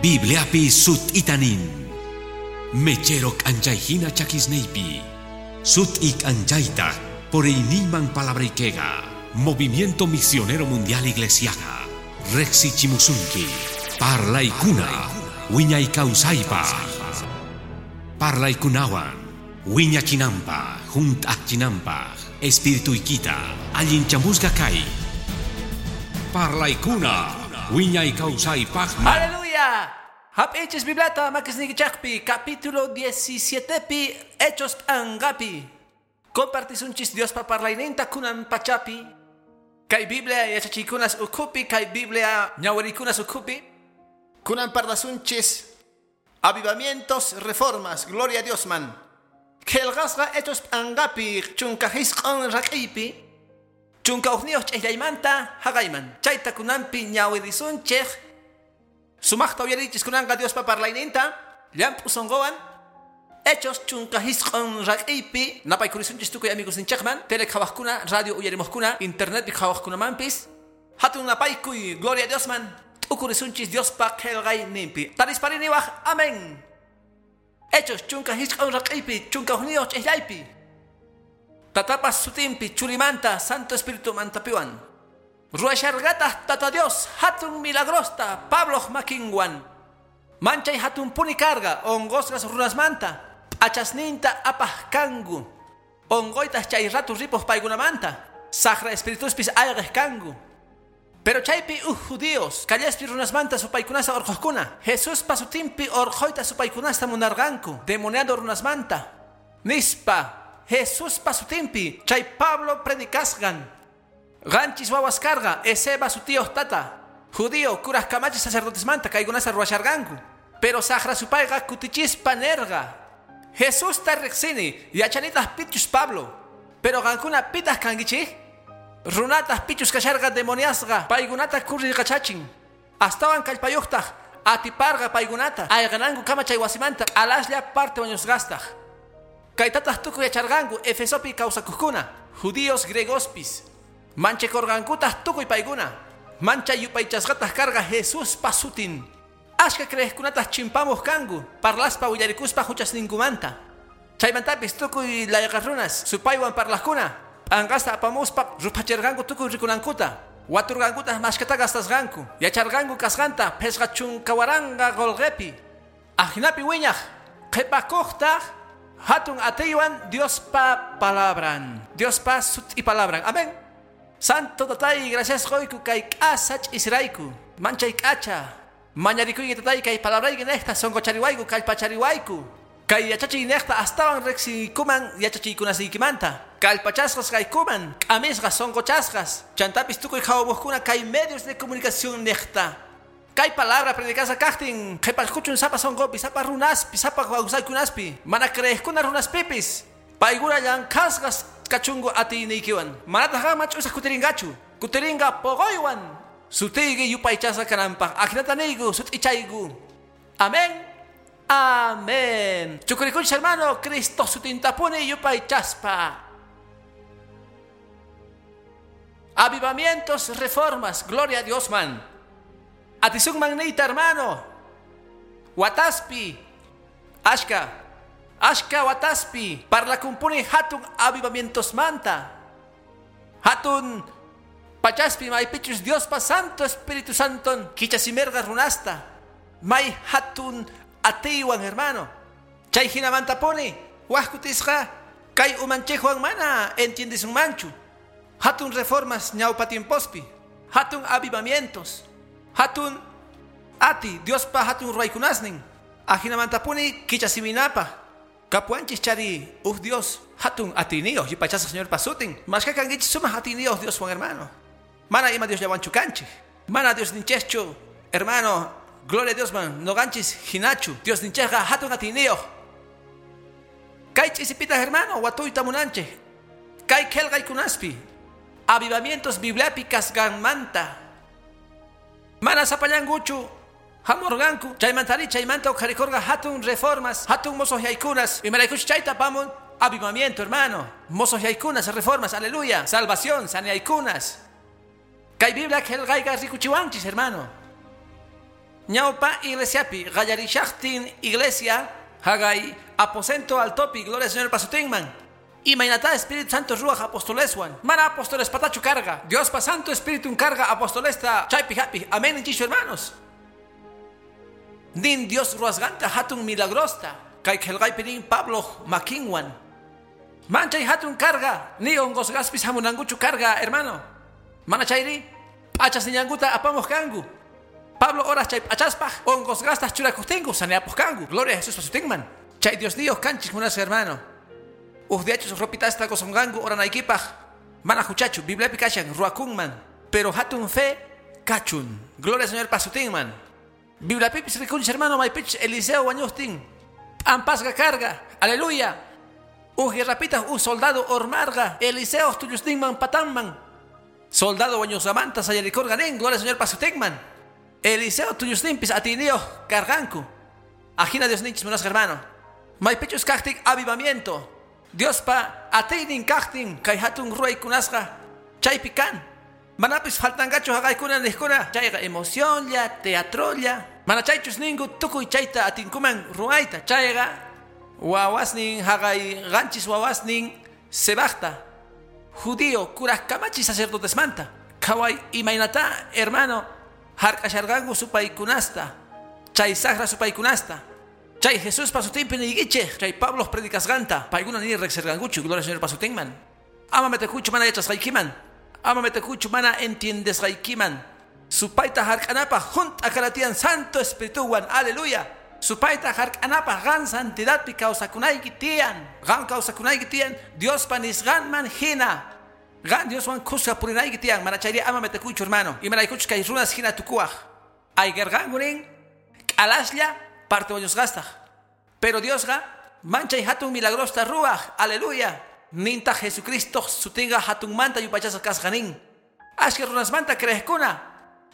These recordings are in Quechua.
Bibliapi sut'itanin. Mechero k'anchayhina chakisniypi. Sut'i k'anchaytaq puriyniyman palabraykiqa. Movimiento Misionero Mundial Iglesiaqa. Riqsichimusunki. Parlaykuna. Wiñay kawsaypaq. Parlaykunawan. Wiñachinanpaq, hunt'achinanpaq, espirituykita, allinchamusqa kay. Parlaykuna, wiñay kawsaypaqman. Aleluya. Hap'ichis Bibliata makisniykichaqpi capítulo 17 pi Hechos p'anqapi. Compartisunchis Diospa parlayninta kunan pachapi. Kay Biblia yachachiykunas ukhupi, kay Biblia ñawirikunas ukhupi. Kunan parlasunchis avivamientos, reformas, gloria a Dios man. Qillqasqa Hechos p'anqapi 19 rak'iypi. 11 ch'illaymanta haqayman. Chayta kunanpi ñawirisunchik. Sumaqta uyarichis kunanqa Diospa parlayninta, llamp'u sunquwan. Hechos 19 rak'iypi napaykurisunchis tukuy amigosninchikman, tele qhawaqkuna, radio uyarimuqkuna, internetpi qhawaqkunamanpis. Hatun napaykuy, gloria a Diosman. T'ukurisunchis Diospa qillqayninpi. Tarispariniwaq, amén. Hechos 19 rak'iypi, 11 ch'illaypi. Tatapas sutinpi, churimanta, Santo Espíritu mantapiwan. Ruashargatah tata Dios, hatun milagrosta, Pablo makinwan. Manchay hatun puni carga, onqosqas runasmanta, p'achasninta apaq kanku. Onqoytaq chay ratu ripuq paykunamanta, saqra espirituspis ayqiq kanku. Pero chaypi uj judíos, callespi runasmanta supaykunasta urqhuqkuna, Jesuspa sutinpi urqhuyta supaykunasta munarqanku, demoniado runasmanta. Nispa, Jesuspa sutinpi, chay Pablo predicasqan. Qanchis wawas karqa, Esceva sutiyuq tata. Judío, kuraj kamachi sacerdotesmanta kaykunasta ruwasharqanku. Pero saqra supayqa kutichispa nerqa. Jesusta riqsini, yachanitaq pichus Pablo. Pero qankuna pitaq kankichik? Runataq pichus kasharqa demoniasqa, paykunata kurrirqachachin. Astawan kallpayuqtaq atiparqa paykunata, ayqananku kama chay wasimanta, alaslla parte wañusqastaq. Kaytataq tukuy yacharqanku Efesopi kawsakuqkuna, judíos griegospis. Manchakorqankutaq tukuy paykuna. Manchay yupaychasqataq karqa Jesuspa sutin. Ashka creeqkunataq chimpamuq kanku, parlaspa willarikuspa huchasninkumanta. Chaymantapis tukuy layqa runas, supaywan parlaqkuna, p'anqasta apamuspa ruphachirqanku tukuy rikunankuta. Waturqankutaq mashkata gastasqanku, yacharqanku kasqanta 50,000 qolqepi. Ajinapi wiñaq, qhipakuqtaq hatun atiywan Diospa palabran, Diospa sut'i palabran. Amén. Santo tatay, gracias qoyku kay k'asach israyku, manchay k'acha. Mañarikuyki tatay kay palabrayki niqta sunquchariwayku kallpachariwayku. Kay yachachiy niqta astawan riqsiykuman yachachiykunasiykimanta. Kallpachasqas kaykuman, k'amisqas sunquchasqas. Chantapis tukuy qhawamuqkuna kay medios de comunicación niqta. Kay palabra predicasqa kaqtin, qhiparquchun sapa sunqupi, sapa runaspi, sapa kawsaykunaspi, mana creeqkuna runaspipis. Paykuna llank'asqas kachunku atiyniykiwan. Manataq qanman ch'usaq kutirinqachu, kutirinqa poqoywan. Sutiyki yupaychasqa kananpaq. Ajinata niyku, sut'ichayku. Amén. Amén. Chukurikunchis hermano, Cristo sutintapuni yupaychaspa. Avivamientos, reformas, gloria a Dios man. Atisunman niyta hermano. Wataspi, ashka. Ashka wataspi, parlakumpuni hatun avivamientos manta. Hatun pachaspi maypichus Diospa Santo Espíritu Santon kichasimerqa runasta. May hatun atiywan hermano. Chay hinamantapuni waj kutisqa kay umanchikwan mana entiendesunmanchu. Hatun reformas ñawpa tiempospi, hatun avivamientos, hatun ati Diospa hatun ruwaykunasnin. Ajinamantapuni kichasiminapaq. Kapuanchis chari, uj Dios, hatun atiyniyuq, yupaychasqa Señor pasutin. Mashka kankichis sumaq atiyniyuq Dioswan hermano. Mana ima Diosllawanchu kanchik. Mana Dios ninchikchu, hermano, gloria a Dios man, noqanchis hinachu. Dios ninchikqa hatun atiyniyuq. Kay ch'isipitaq hermano, watuyta munanchik. Kay qillqaykunaspi, avivamientos Bibliapi kasqanmanta. Mana sapallankuchu hamurqanku, chaymantari chaymanta uqharikurqa hatun reformas, hatun mosoyaykunas, imaraykuch chayta apamun avivamiento hermano, mosoyaykunas, reformas, aleluya, salvación, sanaykunas. Kay Biblia qillqayqa rikuchiwanchis hermano. Ñawpa iglesiapi qallarishaqtin iglesia hagay aposento altopi gloria al Señor pasutinman. Imaynata Espíritu Santo ruaj apostoleswan. Mana apóstoles patachu carga. Dios pa Santo Espíritu carga apostolesta chaypi hapi. Amén inchisho hermanos. Nin Dios ruasganta hatun milagrosta. Kay qillqaypi nin Pablo makinwan. Manchay hatun carga. Ni hongosgaspis hamunanguchu carga, hermano. Mana chayri p'achas niñanguta apamuq kanku. Pablo horas chay p'achaspaq hongosgastas churakuqtinku saneapuq kanku. Gloria a Jesús pasutinman. Chay Dios niyuq kanchis munasqa hermano. Uj diachus ropitasta qusonqanku oranaykipaq. Mana huchachu Bibliapi kashan ruwakunman. Pero hatun fe kachun. Gloria al Señor pasutinman. Bibliapipis rikunchis hermano maypichus Eliseo wañuqtin. P'ampasqa carga. Aleluya. Uj guerrapitaq uj soldado ormarqa Eliseo tullusninman patanman. Soldado wañusqamanta sayarikurqa nin. Gloria al Señor pasutinman. Eliseo tullusninpis atiyniyuq karqanku. Ajina Diosninchis munasqa hermano. Maypichus kaqtin avivamiento. Diospa atiynin kaqtin kay hatun ruwaykunasqa chaypi kan. Manapis faltanqachu haqaykuna niqkuna chayqa emocionlla, teatrolla. Mana chaychus ninku tukuy chayta atinkuman ruwayta. Chayqa wawasnin haqay qanchis wawasnin Sebajta. Judío kuraj kamachi sacerdotesmanta. Qhaway imaynata hermano hark'asharqanku supaykunasta. Chay saqra supaykunasta. Chay Jesús pasutinpi niykichej. Chay Pablo predicasqanta. Paykuna ni riqsirqankuchu. Gloria al Señor pasutinman. Ama metekuchu mana yachasqaykiman. Ama metekuchu mana entiendesqaykiman. Supayta hark'anapaq junt'a kanatiyan Santo Espirituwan. Aleluya. Supayta hark'anapaq qan santidadpi kawsakunayki tiyan. Qan kawsakunayki tiyan Diospa nisqanman hina. Qan Dioswan kuska purinayki tiyan. Mana chayri ama metekuychu hermano. Imaraykuchus kay runas hina tukuwaq. Ayqirqanku nin k'alaslla parte wañusqastaq. Pero Diosqa manchay hatun milagrosta ruwaq. Aleluya. Nintaq Jesucristo sutinqa hatunmanta yupaychasqa kasqa nin. Ashka runasmanta creeqkuna.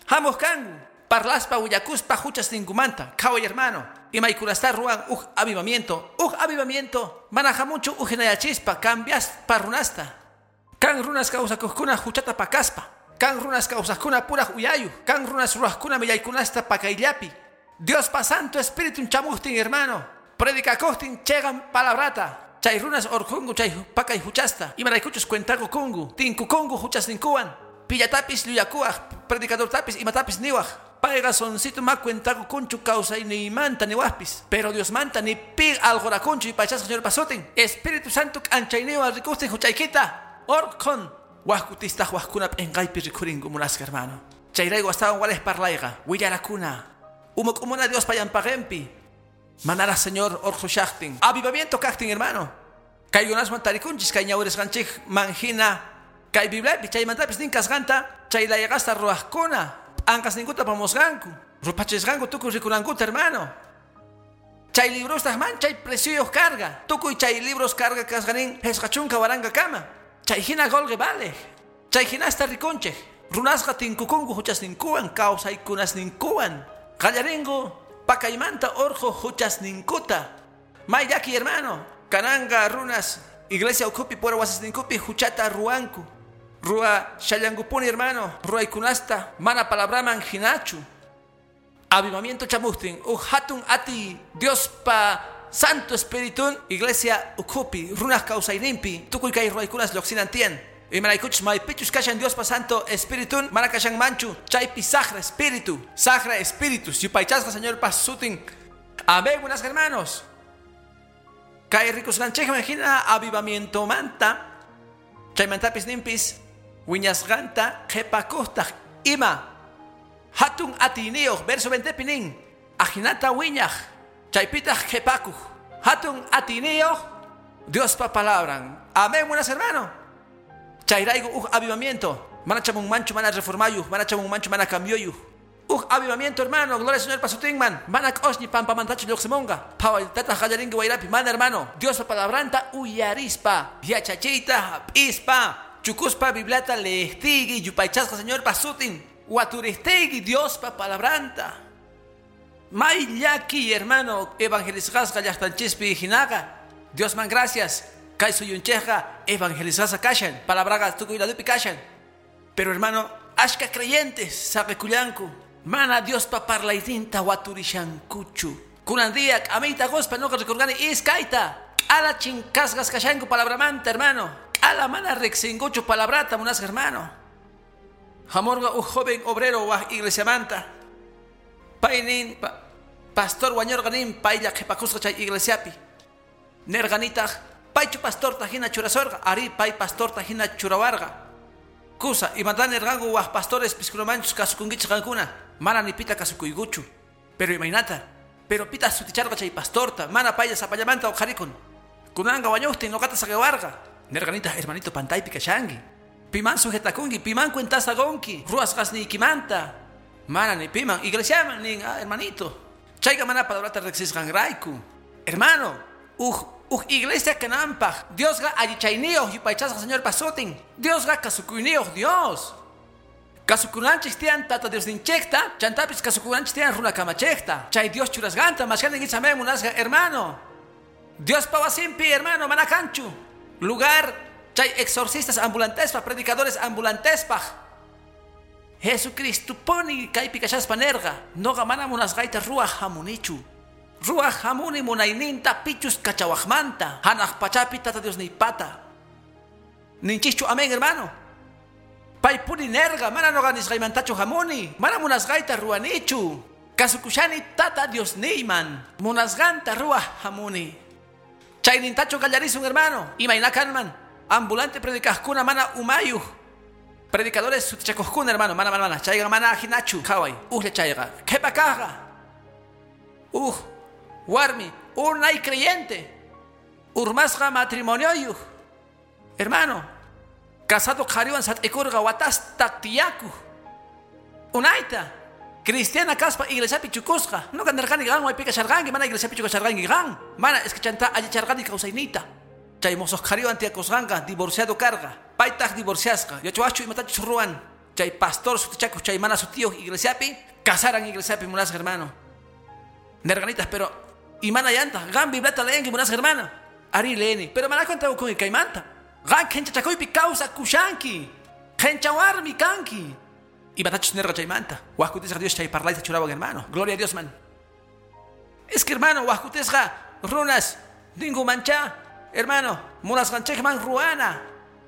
Hamuq kanku. Parlaspa willakuspa huchas ninkumanta. Qhaway hermano. Imaykunasta ruwan uj avivamiento. Uj avivamiento. Mana hamunchu uj hinayachispa cambiaspa runasta. Kan runas kawsakuqkuna huchata pakaspa. Kan runas kawsaqkuna puraj uyayuq. Kan runas ruwaqkuna millaykunasta pakayllapi. Diospa Santo Espíritu chamuqtin hermano. Predicakuqtin cheqan palabrata. Chay runas orqhunku chay pakay huchasta. Imaraykuchus cuentakukunku. Tinkukunku huchasninkuwan. Pillatapis llullakuwaq. Predicadortapis imatapis niwaq. Payqa soncito ma cuentakukunchu kawsayniymanta niwaqpis. Pero Diosmanta ni pi alqurakunchu yupaychasqa Señor pasutin. Espíritu Santo k'anchayniwan rikuqtin huchaykita. Orqhun. Waj kutistaq wajkuna p'inqaypi rikhurinku munasqa hermano. Chayrayku astawan walej parlayqa. Willarakuna. Umuk'umuna Diospa llampaqinpi. Manaraq Señor orqhushaqtin. Avivamiento kaqtin hermano. Kaykunaswan tarikunchis kay ñawirisqanchikman hina. Kay Bibliapi chaymantapis nin kasqanta chay layqasta ruwaqkuna. P'anqasninkuta apamusqanku. Rupachisqanku tukuy rikunankuta hermano. Chay librostaq manchay precioyuq carga. Tukuy chay libros carga kasqa nin 50,000 kama. Chay hina qolqe vale. Chay hinasta rikunchik. Runasqa tinkukunku huchasninkuwan kawsaykunasninkuwan. Qallarinku pakaymanta orqhu huchasninkuta. May llaki hermano. Kananqa runas iglesia ukhupi pura wasisninkupi huchata ruwanku. Ruwa shallankupuni hermano. Ruwaykunasta mana palabraman hinachu. Avivamiento chamuqtin uj hatun ati Diospa Santo Espiritun iglesia ukhupi runaj kawsayninpi tukuy kay ruwaykunas lluqsinan tiyan. Imaraykuchus maypichus kashan Diospa Santo Espiritun mana kashan manchu chaypi saqra espíritu. Saqra espíritus yupaychasqa Señorpa sutin. Amén, buenas hermanos. Kay rikusqanchikman hina avivamientomanta chaymantapis ninpis wiñasqanta qhipakuqtaq ima hatun atiyniyuq verso 20 pi nin ajinata wiñaq chaypitaq qhipakuq hatun atiyniyuq Diospa palabran. Amén, buenas hermano. Chayrayku uj avivamiento. Mana chamunmanchu mana reformayuq, mana chamunmanchu mana cambioyuq. Uj avivamiento hermano, gloria al Señor pasutinman. Mana q'osñi pampamantachu lluqsimunqa. Phawaytataq qallarinki wayrapi, mana hermano. Diospa palabranta uyarispa, yachachiyta hap'ispa, chukuspa Bibliata leeqtiyki, yupaychasqa Señor pasutin. Waturistayki Diospa palabranta. May llaki hermano, evangelizasqa llaqtanchispi hinaqa. Diosman gracias. Kay suyunchikqa evangelizasqa kashan. Palabraqa tukuy ladupi kashan. Pero hermano, ashka creyentes saqikullanku. Mana Diospa parlayninta waturishankuchu. Kunan día amita gospa noqa rikurqani iskayta. K'ala chinkasqas kashanku palabramanta, hermano. K'ala mana riqsinkuchu palabrata munasqa, hermano. Hamurqa uj joven obrero waj iglesiamanta. Paynin pastor wañurqa nin paylla qhipakusqa chay iglesiapi. Nerqanitaq paychu pastorta hina churasurqa, ari pay pastorta hina churawarqa. Kusa imata nerqanku waj pastores piskunamanchus kasukunkichik qankuna, mana ni pita kasukuykuchu. Pero imaynata, pero pita suticharqa chay pastorta, mana paylla sapallamanta uqharikun. Kunanqa wañuqtin noqata saqiwarqa. Nerqanitaq hermanito pantaypi kashanki. Piman sujetakunki, piman cuentasta qunki, ruwasqasniykimanta. Mana ni piman, iglesiaman nin, ah, hermanito. Chayqa mana palabrata riqsisqanrayku. Hermano, uj iglesia kananpaq, Diosqa allichayniyuq yupaychasqa Señorpa sutin. Diosqa kasukuyniyuq Dios. Kasukunanchik tiyan Tata Diosninchikta, chantapis kasukunanchik tiyan runa kamachikta. Chay Dios churasqanta mashkanin amén munasqa, hermano. Diospa wasinpi, hermano, mana kanchu. Lugar chay exorcistas ambulantespaq, predicadores ambulantespaq. Jesucristo puni kaypi kashaspa nerqa, noqa mana munasqayta ruwaq hamunichu. Ruwaq hamuni munayninta pichus kachawaqmanta, hanaq pachapi Tata Diosniypata. Ninchikchu amén, hermano. Pay puni nerqa, mana noqa nisqaymantachu hamuni, mana munasqayta ruwanichu. Kasukushani Tata Diosniyman, munasqanta ruwaq hamuni. Chaynintachu qallarisun, hermano. Imayna kanman, ambulante predicaqkuna mana umayuq. Predicadores sutichakuqkuna, hermano, mana mana mana, chayqa mana ajinachu, qhaway, ujlla chayqa, qhipa kaqqa. Uj, warmi, unay creyente, urmasqa matrimonioyuq. Hermano, casado qhariwan sat'ikurqa watasta tiyakuq. Unayta, cristiana kaspa iglesiapi chukusqa. Noqa nerqani qan maypi kasharqanki, mana iglesiapi kasharqanki qan. Mana es que chanta allicharqani kawsayniyta. Chay mosoq qhariwan tiyakusqanqa divorciado karqa. Paytaq divorciasqa. Yachawachu imatachus ruwan. Chay pastor sutichakuq chay mana sutiyuq iglesiapi, casaran iglesiapi munasqa, hermano. Nerqanitaq, pero imana yantaq, qan Bibliata leenki munasqa, hermano. Ari leeni, pero mana cuenta ukunki kaymanta. Qan qhenchachakuypi kawsakushanki. Qhenchawarmi kanki. Imatachus nerqa chaymanta. Waj kutisqa Dios chay parlayta churawan, hermano. Gloria a Dios, man. Es que, hermano, waj kutisqa runas ninku mancha, hermano, munasqanchikman ruwana.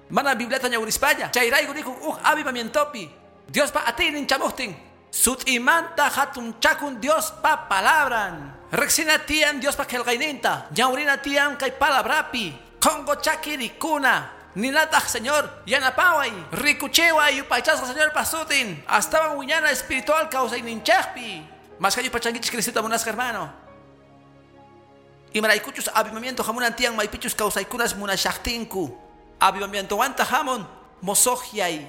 Mana Bibliata ñawrispalla. Chayrayku nikun uj avivamientopi. Diospa atiynin chamuqtin. Sut'imanta hatunchakun Diospa palabran. Riqsina tiyan Diospa qillqayninta. Ñawrina tiyan kay palabrapi. Qhonqo chaki rikuna. Ninataq Señor, yanapaway, rikuchiway yupaychasqa Señorpa sutin. Astawan wiñana espiritual kawsayninchikpi. Mashka yupachankichik Cristota munasqa, hermano. Imaraykuchus avivamiento hamunan tiyan maypichus kawsaykunas munashaqtinku. Avivamientowanta hamun mosoqyay,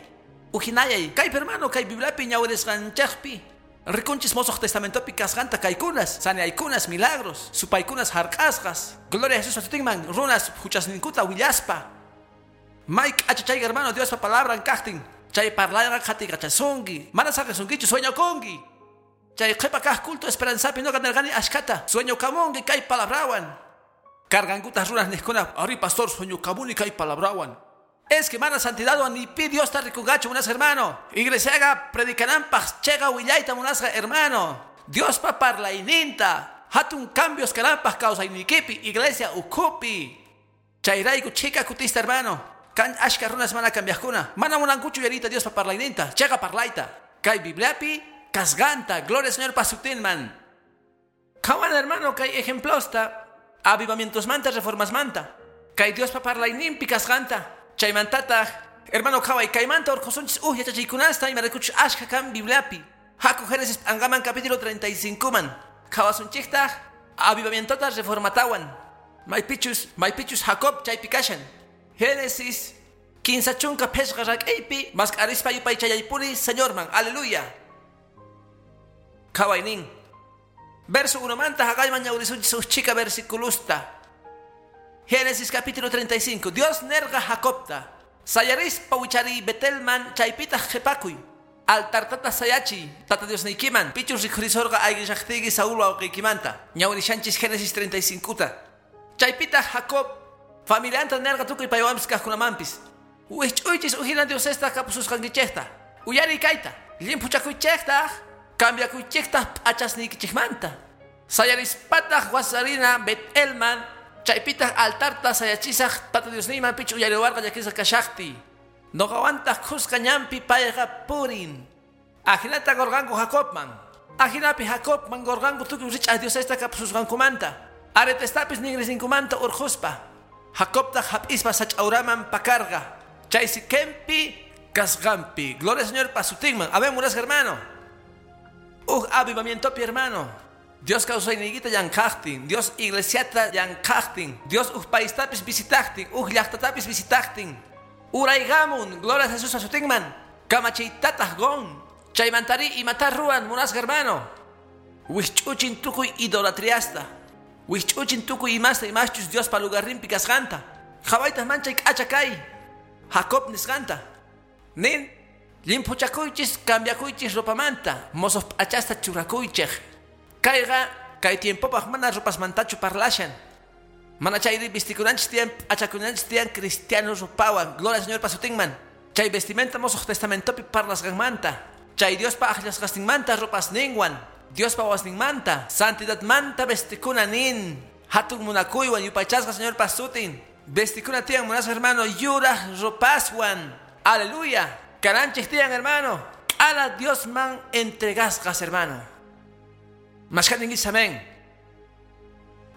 ujinayay. Kaypi, hermano, kay Bibliapi ñawirisqanchikpi. Rikunchis mosoq testamentopi kasqanta kaykunas, saneaykunas, milagros, supaykunas hark'asqas. Gloria a Jesús sutinman, runas huchasninkuta willaspa. Mike achachay, hermano, Diospa palabran kaqtin. Chay parlayqa qhatiqachasunki. Mana saqisunkichu sueñokunki. Chay qhipa kaq culto esperanzapi noqa nerqani ashkata. Sueñokamunki kay palabrawan. Cargankutas runas niqkuna, ari pastor sueñokamuni kay palabrawan. Es que mana santidadwan ni pi Diosta rikunqachu munasqa, hermano. Iglesiaqa predicananpaq chiqa willayta munasqa, hermano. Diospa parlayninta. Hatun cambios kananpaq kawsaynikipi, iglesia ukhupi. Chayrayku chika kutista, hermano. Kan ashka runas mana cambiaqkuna. Mana munankuchu uyariyta Diospa parlayninta, chiqa parlayta. Kay Bibliapi kasqanta, gloria al Señor pasutinman. Qhawan, hermano, kay ejemplosta, avivamientosmanta, reformasmanta. Kay Diospa parlayninpi kasqanta. Chaymantataq, hermano, qhaway kaymanta urqhusunchis uj yachachiykunasta imaraykuchus ashka kan Bibliapi. Haku Génesis p'anqaman capítulo 35 man. Qhawasunchiktaq avivamientota reformatawan. Maypichus Jacob chaypi kashan. Génesis 15 rak'iypi mask'arispa yupaychayaypuni Señorman. Aleluya. Qhawaynin. Verso 1 manta haqayman ñawrisunchis uj chika versiculusta. Génesis capítulo 35. Dios nerqa Jacobta. Sayarispa wichari Betelman chaypitaq qhipakuy. Altartata sayachi, Tata Diosniykiman. Pichus rikhurisorqa ayqishaqtiyki Saúl wawqiykimanta. Ñawrishanchis Génesis 35ta. Chaypitaq Jacob familianta nerqa tukuy paywanpis kaqkunamanpis. Wijch'uychis ujina diosesta kapususqankichikta. Uyariy kayta, llimphuchakuychiktaq. Cambiakuychiktaq p'achasniykichikmanta. Sayarispataq wasarina Betelman, chaypitaq altarta sayachisaq Tata Diosniyman pichu uyariwarqa llakisqa kashaqti. Noqawantaq khusqa ñanpi payqa purin. Ajinata gorganku Jacobman. Ajinapi Jacobman gorganku tukuy rich'aq diosesta kapususqankumanta. Aretestapis ningrisinkumanta urquspa. Jacobtaq hap'ispa sach'awraman pakarqa. Chay Siquempi kasqanpi. Gloria al Señor pasutinman. Amén, munasqa hermano. Uj avivamientopi hermano. Dios kawsayniykita llank'aqtin, Dios iglesiata llank'aqtin, Dios uj paistapis visitaqtin, uj llaqtatapis visitaqtin. Uraygamun, gloria a Jesús asutinman. Kamachiytataq gon. Chaymantari imata ruwan munasqa hermano. Wisch'uchin tukuy idolatriasta. Wisch'uchin tukuy imasta imaschus Diospa lugarninpi kasqanta. Qhawaytaq manchay k'acha kay. Jacob nisqanta. Nin llimphuchakuychis cambiakuychis ropamanta, mozos p'achasta churakuychej. Kayqa kay tiempopaq mana ropasmantachu parlashan. Mana chayri vistikunanchis tiyan p'achakunanchis tiyan cristiano ropawan. Gloria al Señor pasutinman. Chay vestimenta mosoq testamentopi parlasqanmanta. Chay Diospa aqllasqasninmanta ropasninwan. Diospa wasninmanta, santidadmanta vestikuna nin. Hatun munakuywan yupaychasqa Señor pasutin. Vestikuna tiyan munasqa hermano yuraq ropaswan. Aleluya. Kananchik tiyan hermano. K'ala Diosman entregasqas hermano. Mashkaninguis amén.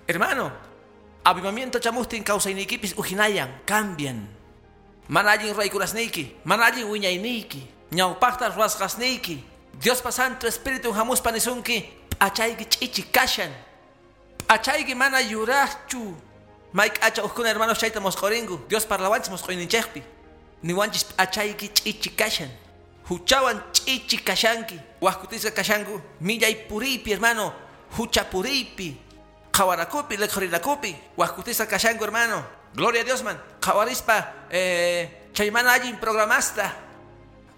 Hermano, avivamiento chamustin kawsayniykipis ujinayan, cambian. Mana allin ruwaykunasniyki, mana allin wiñayniyki, ñawpaqta ruwasqasniyki. Diospa Santo Espíritu hamuspa nisunki, p'achayki ch'ichi kashan. P'achayki mana yuraqchu. May k'acha uqkuna hermanos chayta mosq'urinku. Dios parlawanchis mosq'uyninchikpi. Niwanchis p'achayki ch'ichi kashan. Huchawan ch'ichi kashanki. Waqkutisqa kashanku millay puriypi hermano, hucha puriypi. Qhawanakupi, liqhurinakupi, waqkutisqa kashanku hermano. Gloria a Dios man. Qhawarispa chay mana allin programasta.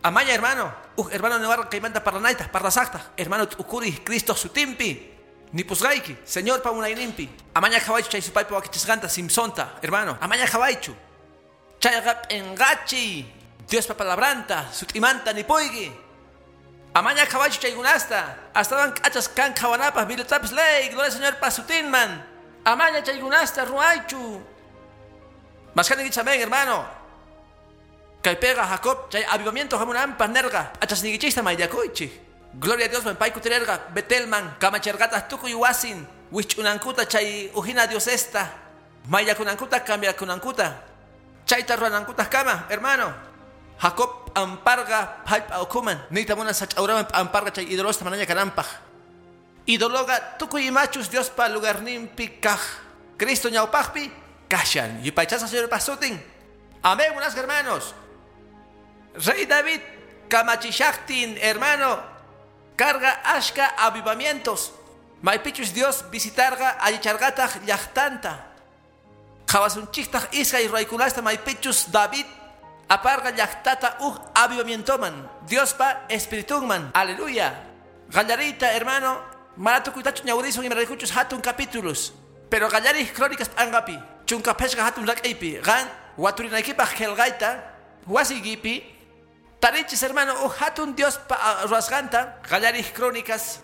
Amaña hermano. Uj hermano niwarqa kaymanta parlanayta, parlasaqta. Hermano t'ukuri Cristo sutinpi. Nipusqayki, Señor pa munayninpi. Amaña qhawaychu chay supaypa wakichisqanta Simpsonta, hermano. Amaña qhawaychu. Chayqa p'inqachiy. Diospa palabranta, sut'imanta nipuyki. Amaña qhawaychu chaykunasta. Astawan k'achas kan qhawanapaq Bibliatapis ley, gloria al Señor pasutinman. Amaña chaykunasta ruwaychu. Mashkaninkichis amén, hermano. Kaypiqa Jacob chay avivamiento hamunanpaq nerqa p'achasniykichista mayllakuychik. Gloria a Dios man pay kutirerqa Betelman kamacherqataq tukuy wasin wisch'unankuta chay ujina diosesta mayllakunankuta cambiakunankuta chayta ruwanankutaq kama, hermano. Jacob p'amparqa jallp'a ukhuman niyta munan sach'awraman p'amparqa chay idolosta manaña kananpaq. Idoloqa tukuy imachus Diospa lugarninpi kaq. Cristo ñawpaqpi kashan. Yupaychasqa Señorpa sutin. Amén, munasqa hermanos. Rey David kamachishaqtin, hermano, carga ashka avivamientos. Maypichus Dios visitarqa allicharqataq llaqtanta. Qhawasunchiktaq iskay ruwaykunasta maypichus David aparqa llaqtata uj avivamientoman, Diospa espiritunman. Aleluya. Qallariyta, hermano, mana tukuytachu ñawirisun imaraykuchus hatun capítulos. Pero qallarij crónicas p'anqapi, chunka phishqa hatun rak'aypi, qan waturinaykipaq qillqayta, wasiykipi tarichis hermano uj hatun Diospa ruwasqanta, qallarij crónicas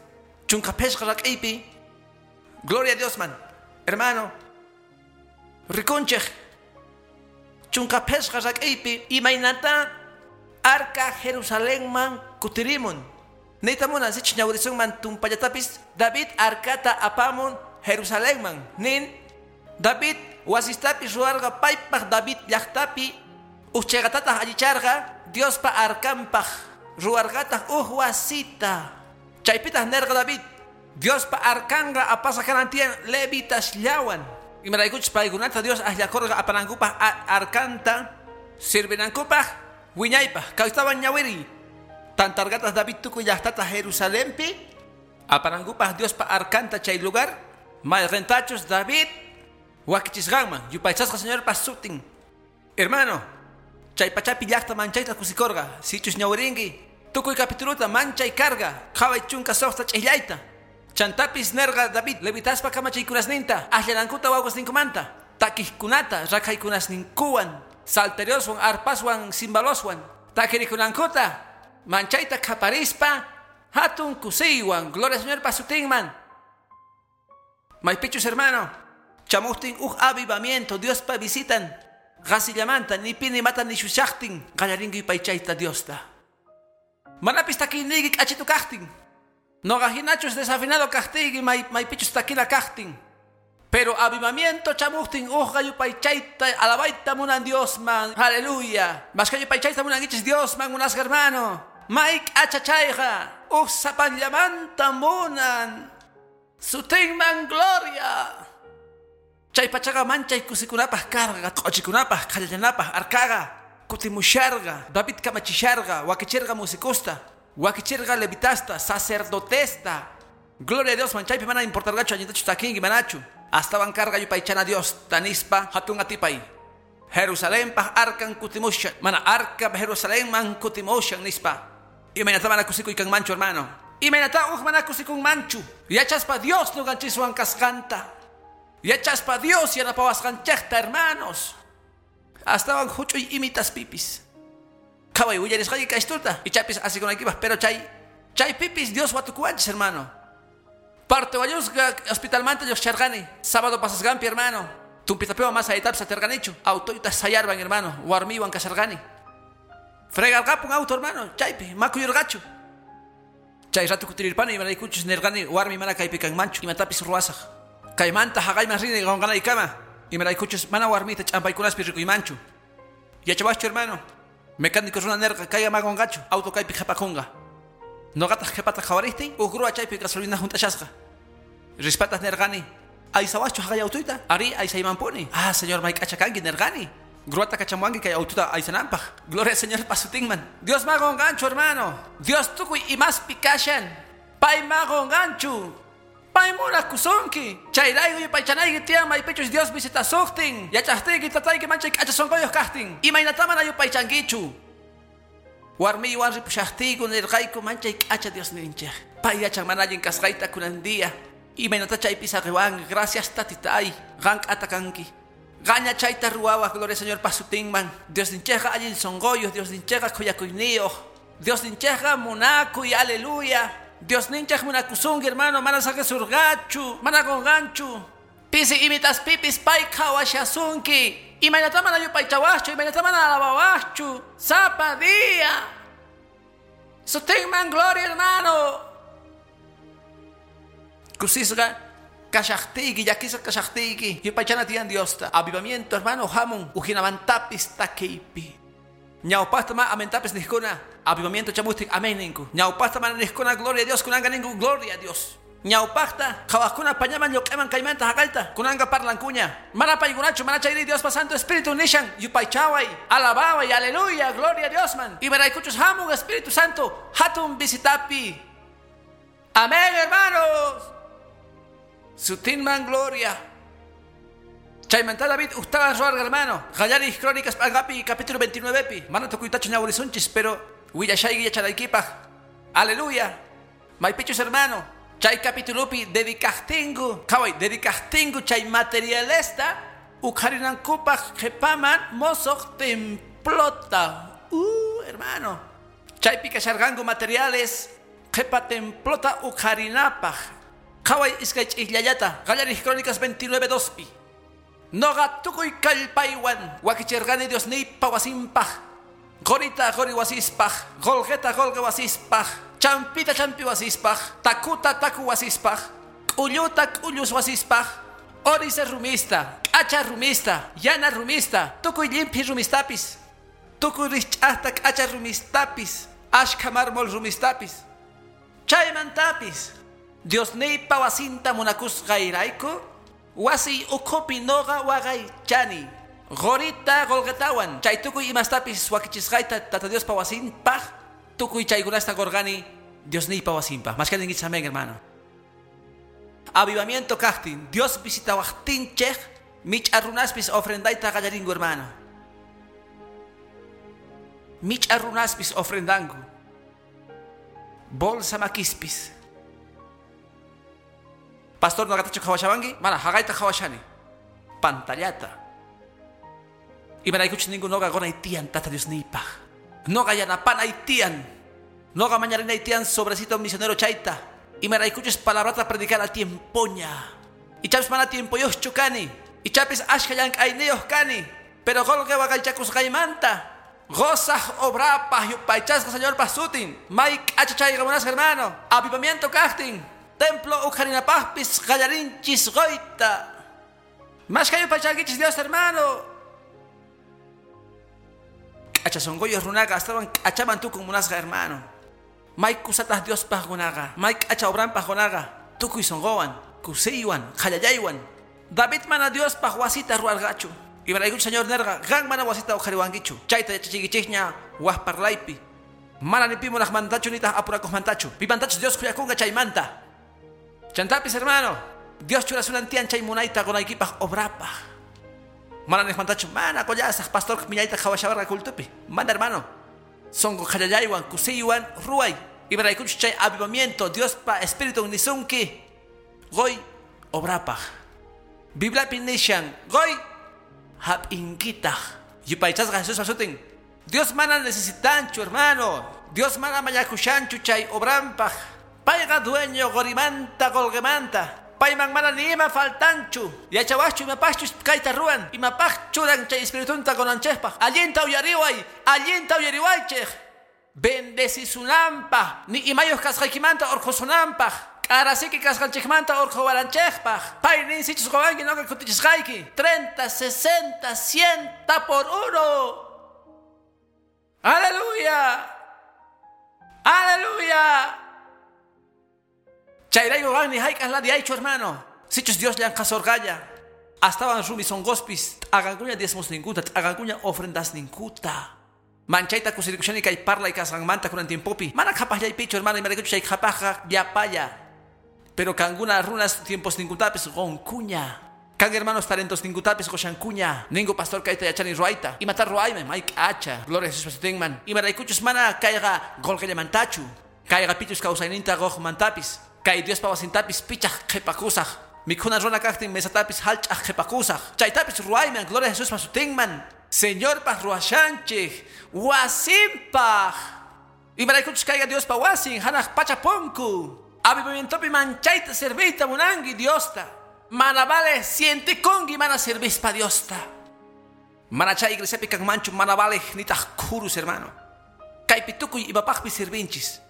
chunka phishqa rak'aypi. Gloria a Dios man. Hermano, rikunchej chunka phishqa rak'aypi imaynata arka Jerusalenman kutirimun. Niyta munan sichus ñawirisunman tumpallatapis David arkata apamun Jerusalenman. Nin David wasistapis ruwarqa paypaq David llaqtapi uj chayqatataq allicharqa Diospa arkanpaq ruwarqataq uj wasita. Chaypitaq nerqa David Diospa arkanqa apasqa kanan tiyan levitasllawan. Imaraykuchus paykunata Dios akllakurqa apanankupaq arkanta sirvinankupaq wiñaypaq. Kawstawan ñawiri. Tantarqataq David tukuy llaqtata Jerusalenpi apanankupaq Diospa arkanta chay lugar mayqintachus David wakichisqanman yupaychasqa Señorpa sutin. Hermano, chay pachapi llaqta manchayta kusikurqa. Sichus ñawirinki tukuy capituluta manchay karqa qhaway chunka suqta ch'illayta. Chantapis nerqa David levitaspa kamachiykunasninta akllanankuta wawqasninkumanta takijkunata rakhaykunasninkuwan salterioswan arpaswan cimbaloswan takirikunankuta manchayta qhaparispa Hatun kusiywan, gloria al Señor pasutinman. Maypichus hermano, chamuhtin uj avivamiento, Diospa visitan. Qasillamanta, ni pi ni mata ni shushaqtin, qallarinki yupaychayta Diosta. Manapis takiyniyki k'achitu kaqtin. Noqa hinachus desafinado kaqtiyki maypichus takina kaqtin. Pero avivamiento chamuhtin uqqa yupaychayta alabayta munan Diosman. Aleluya. Mashka yupaychayta munankichis Diosman munasqa hermano. May k'achachayqa uj sapanllamanta munan. Sutinman gloria. Chay pachaqa manchay kusikunapaq karqa, q'uchikunapaq, qhallanapaq, arkaqa, kutimusharqa, David kamachisharqa, wakichirqa musikusta, wakichirqa levitasta, sacerdotesta. Gloria a Dios, man chaypi mana importarqachu allintachu takinki manachu. Astawan karqa yupaychana Dios, tanispa hatun atipay. Jerusalenpaq arkan kutimushan, mana arka Jerusalenman kutimushan nispa. Imaynata mana kusikuykanmanchu hermano. Imaynata uj mana kusikunmanchu. Yachaspa Dios nuqanchiswan kasqanta. Yachaspa Dios yanapawasqanchikta hermanos. Astawan huch'uy imitas pipis. Qhaway willarisqayki k'ashtuta ichapis asikunaykipaq, pero chay pipis Dios watukuwanchis hermano. Parte wañusqa hospitalmanta lluqsharqani sábado pasasqanpi hermano. Tumpitapiwan mas aytapis atirqanichu. Autoyta sayarban hermano, warmiwan kasharqani. Fregarqapun auto hermano, chaypi makuyurqachu. Chay ratu kutirirpani imaraykuchus nirqani warmi mana kaypi kanmanchu imatapis ruwasaq. Kaymanta haqayman rini qunqanaykama imaraykuchus mana warmita ch'ampaykunaspi rikuymanchu. Yachawaschu hermano, mecánico runa nirqa kay ama qunqachu, auto kaypi qhipakunqa. Noqataq qhipata qhawariptin uj grúa chaypi gasolina hunt'ashasqa. Rispataq nirqani, aysawaschu haqay autoyta? Ari aysaymanpuni. Ah, señor, mayk'acha kanki nirqani. Gruata kachamuanki kay autota aysananpaq. Gloria al Señor pasutinman. Dios ma qunqanchu hermano. Dios tukuy imaspi kashan. Pay ma qunqanchu. Pay munakusunki. Chayrayku yupaychanayki tiyan maypichus Dios visitasuqtin. Yachaqtiyki tatayki manchay k'acha sunquyuq kaqtin. Imaynata mana yupaychankichu. Warmiywan ripushaqtiyku nirqayku manchay k'acha Diosninchik. Pay yachan mana allin kasqayta kunan día. Imaynata chaypi saqiwanki. Gracias tatitay. Qan k'ata kanki. Gaña chayta ruwawaq, gloria al Señor pasutinman. Diosninchikqa allin sunquyuq, Diosninchikqa khuyakuyniyuq. Diosninchikqa munakuy, aleluya. Diosninchik munakusunki hermano, mana saqisurqachu, mana qunqanchu. Pisi imitas pipis pay qhawashasunki. Imaynata mana yupaychawaqchu, imaynata mana alabawaqchu. Sapa día. Sutinman gloria hermano. Kusisqa kashaqtiyki, llakisqa kashaqtiyki, yupaychana tiyan Diosta. Avivamiento hermano hamun ujinamantapis takiypi. Ñawpaqta ma amentapis niqkuna, avivamiento chamuhtin amén ninku. Ñawpaqta mana niqkuna gloria a Dios, kunanqa ninku gloria a Dios. Ñawpaqta qhawaqkuna pañaman lluq'iman kaymanta haqayta, kunanqa parlankuña. Mana paykunachu, mana chayri Diospa Santo Espíritu nishan, yupaychaway, alabaway, aleluya, gloria a Diosman. Imaraykuchus hamun Espíritu Santo hatun visitapi. Amén hermanos. Sutinman gloria. Chaymanta David ustawan ruwarqa hermano. Qallarij Crónicas p'anqapi capítulo 29pi. Mana tukuytachu ñawrisunchis, pero willashayki yachanaykipaq. Aleluya. Maypichus hermano. Chay capítulopi dedicajtinku, qhaway dedicajtinku chay materialesta uqharinankupaq qhipaman mosoq templota. Hermano. Chaypi kasharqanku materiales qhipa templota uqharinapaq. Qhaway iskay ch'ijllayata, qallarij Crónicas 29:2pi. Noqa tukuy kallpaywan wakichirqani Diosniypa wasinpaq. Qorita qori wasispaq, qolqeta qolqe wasispaq, champita champi wasispaq, takuta taku wasispaq, k'ulluta k'ullus wasispaq, orise rumista, k'acha rumista, yana rumista, tukuy llimphi rumistapis, tukuy rich'aqta k'acha rumistapis, ashkha mármol rumistapis, chaymantapis. Diosniypa wasinta munakusqayrayku, wasiy ukhupi noqa waqaychani. Qorita qolqetawan, chay tukuy imastapis wakichisqayta Tata Diospa wasinpaq, tukuy chaykunasta qurqani Diosniypa wasinpaq. Mashka ninkichis amén hermano. Avivamiento kaqtin, Dios visitawaqtinchik, mich'a runaspis ofrendayta qallarinku hermano. Mich'a runaspis ofrendanku. Bolsa makispis. Pastor noqatachu qhawashawanki? Mana haqayta qhawashani. Pantallata. Imaraykuchus ninku noqa qunay tiyan Tata Diosniypaq. Noqa yanapanay tiyan. Noqa mañarinay tiyan sobrecito misionero chayta. Imaraykuchus palabrata predicar al tiempoña. Ichapis mana tiempoyuqchu kani. Ichapis ashka llank'ayniyuq kani. Pero qolqe waqaychakusqaymanta gozaj obrapaj yupaychasqa Señorpaj sutin. May k'acha chayqa munasqa hermano. Avivamiento kaqtin. Templo uqharinapaqpis qallarinchis qoyta. Mashka yupaychankichis Dios hermano. K'acha sonqoyuq runaqa astawan k'achaman tukun munasqa hermano. May kusataq Diospaj qunaqa, may k'acha obranpaj qunaqa, tukuy sonqowan, kusiywan, qhallallaywan. David mana Diospaj wasita ruwarqachu. Imaraykuchu Señor nerqa, qan mana wasita uqhariwankichu. Chayta yachachiykichikña waj parlaypi. Mana ni pi munaqmantachu nitaq apurakuqmantachu. Pimantachu Dios khuyakunqa chaymanta. Chantapis hermano, Dios churasunan tiyan chay munayta qunaykipaj obrapaj. Mana niqmantachu, mana qullasaq pastor millayta qhawashawarqa cultupi. Mana hermano. Sonqo qhallallaywan, kusiywan, ruway. Imaraykuchu chay avivamiento, Diospa espíritu nisunki. Qoy obrapaj. Bibliapi nishan, qoy hap'inkitaq. Yupaychasqa Jesuspa sutin. Dios mana necesitanchu, hermano. Dios mana mañakushanchu chay obranpaj. Payqa dueño qorimanta qolqemanta. Payman mana ni ima faltanchu. Yachawaqchu imapaqchu kayta ruwan. Imapaq churan chay espiritunta qonanchikpaq. Allinta uyariway, allinta uyariwaychik. Bendecisunanpaq, ni imayuq kasqaykimanta urqhusunanpaq. K'arasiki kasqanchikmanta urqhuwaranchikpaq. Pay nin sichus qowanki noqa kutichisqayki. 30, 60, 100 por uno. Aleluya. Aleluya. Chayrayku qan ni hayk'aq ladiaychu hermano. Sichus Dios llanqasorqalla. Astawan rumi sonqospis t'aqankuña diezmosninkuta, t'aqankuña ofrendasninkuta. Manchayta kusirikushani kay parlay kasqanmanta kunan tiempopi. Mana qhapaqllaypichu hermano, imaraykuchu chay qhapaqqa llapalla. Pero kankuna runas tiemposninkutapis qonkuña. Kan hermanos talentos ninkutapis qoshankuña. Ningu pastor kayta yachani ruwayta. Imata ruwayman may k'acha. Gloria a Jesús sutinman. Imaraykuchus mana kayqa qolqillamantachu. Kayqa pichus kawsayninta quqmantapis. Kay Diospa wasintapis pichaq qhipakusaq. Mikhuna runa kaqtin mesatapis hallch'aq qhipakusaq. Chaytapis ruwayman, gloria a Jesuspa sutinman. Señorpaj ruwashanchik, wasinpaj. Imaraykuchus kayqa Diospa wasin, hanaq pacha punku. Avivamientopi manchayta serviyta munanki Diosta. Mana vale sientikunki mana servispa Diosta. Mana chay iglesiapi kanmanchu mana vale nitaq khurus hermano. Kaypi tukuy imapaqpi sirvinchis.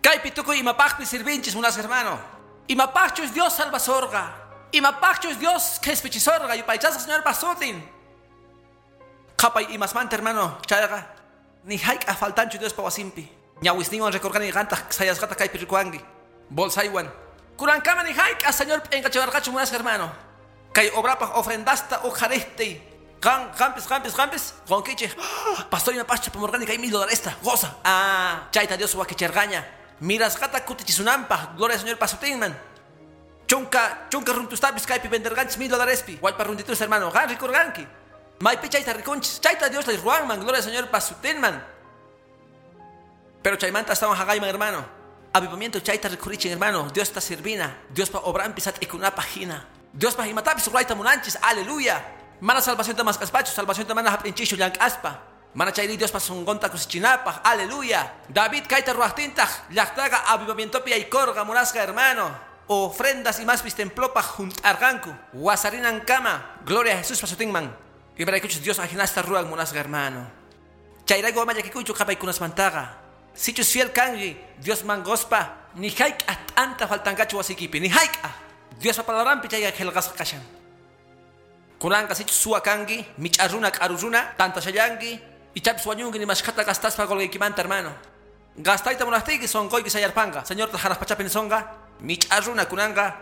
Kaypi tukuy imapaqpi sirvinchis munas hermano. Imapaqchus Dios salvasorqa. Imapaqchus Dios qhispichisorqa. Yupaychasqa Señorpa sutin. Qhapay imasmanta hermano chayqa ni hayk'aq faltanchu Diospa wasinpi. Ñawisninwan rikurqani qantaq sayasqata kaypi rikuwanki. Bolsaywan. Kurankama ni hayk'aq Señor p'inqachiwarqachu munasqa hermano. Kay obrapaq ofrendasta uqhariqtiy. Qan, qampis, qampis, qampis, qonkichik. Pastor imapaqchu pamurqani kay $1,000 goza. Ah, chayta Dios wakichirqaña. Mirasqata kutichisunanpaq, gloria al Señor pasutinman. Chunka runtustapis kaypi venderqanchis $1,000pi. Wallpa runtitus hermano, qan rikurqanki. Maypi chayta rikunchis, chayta Dios lay ruwanman, gloria al Señor pasutinman. Pero chaymanta astawan haqayman hermano. Avivamiento chayta rikurichin hermano, Dios ta sirvina, Diospa obranpi sat'ikunapaq hina. Diospaq imatapis ruwayta munanchis, aleluya. Mana salvacionta mask'aspachu, salvacionta mana hap'inchischu llank'aspa. Mana chayri Diospa sonqonta kusichinapaq, aleluya. David kayta ruwaqtintaq llaqtaqa avivamientopi yaykurqa munasqa hermano. Ofrendas imaspis templopaq junt'arqanku. Wasarinankama, gloria a Jesuspa sutinman. Imaraykuchus Dios ajinasta ruwan munasqa hermano. Chayrayku ama llakikuychu qhapaykunasmantaqa. Sichus fiel kanki Diosman quspa, ni hayk'aq t'anta faltanqachu wasiykipi, ni hayk'aq. Diospa palabranpi chayqa qillqasqa kashan. Kunanqa sichus suwa kanki, mich'a runa k'aru runa, tantashallanki, ichapis wañunki nimashkhata gastaspa qolqiykimanta hermano. Gastayta munaqtiyki sonqoyki sayarpanqa. Señorta hanaq pachapi nisonqa, mich'a runa kunanqa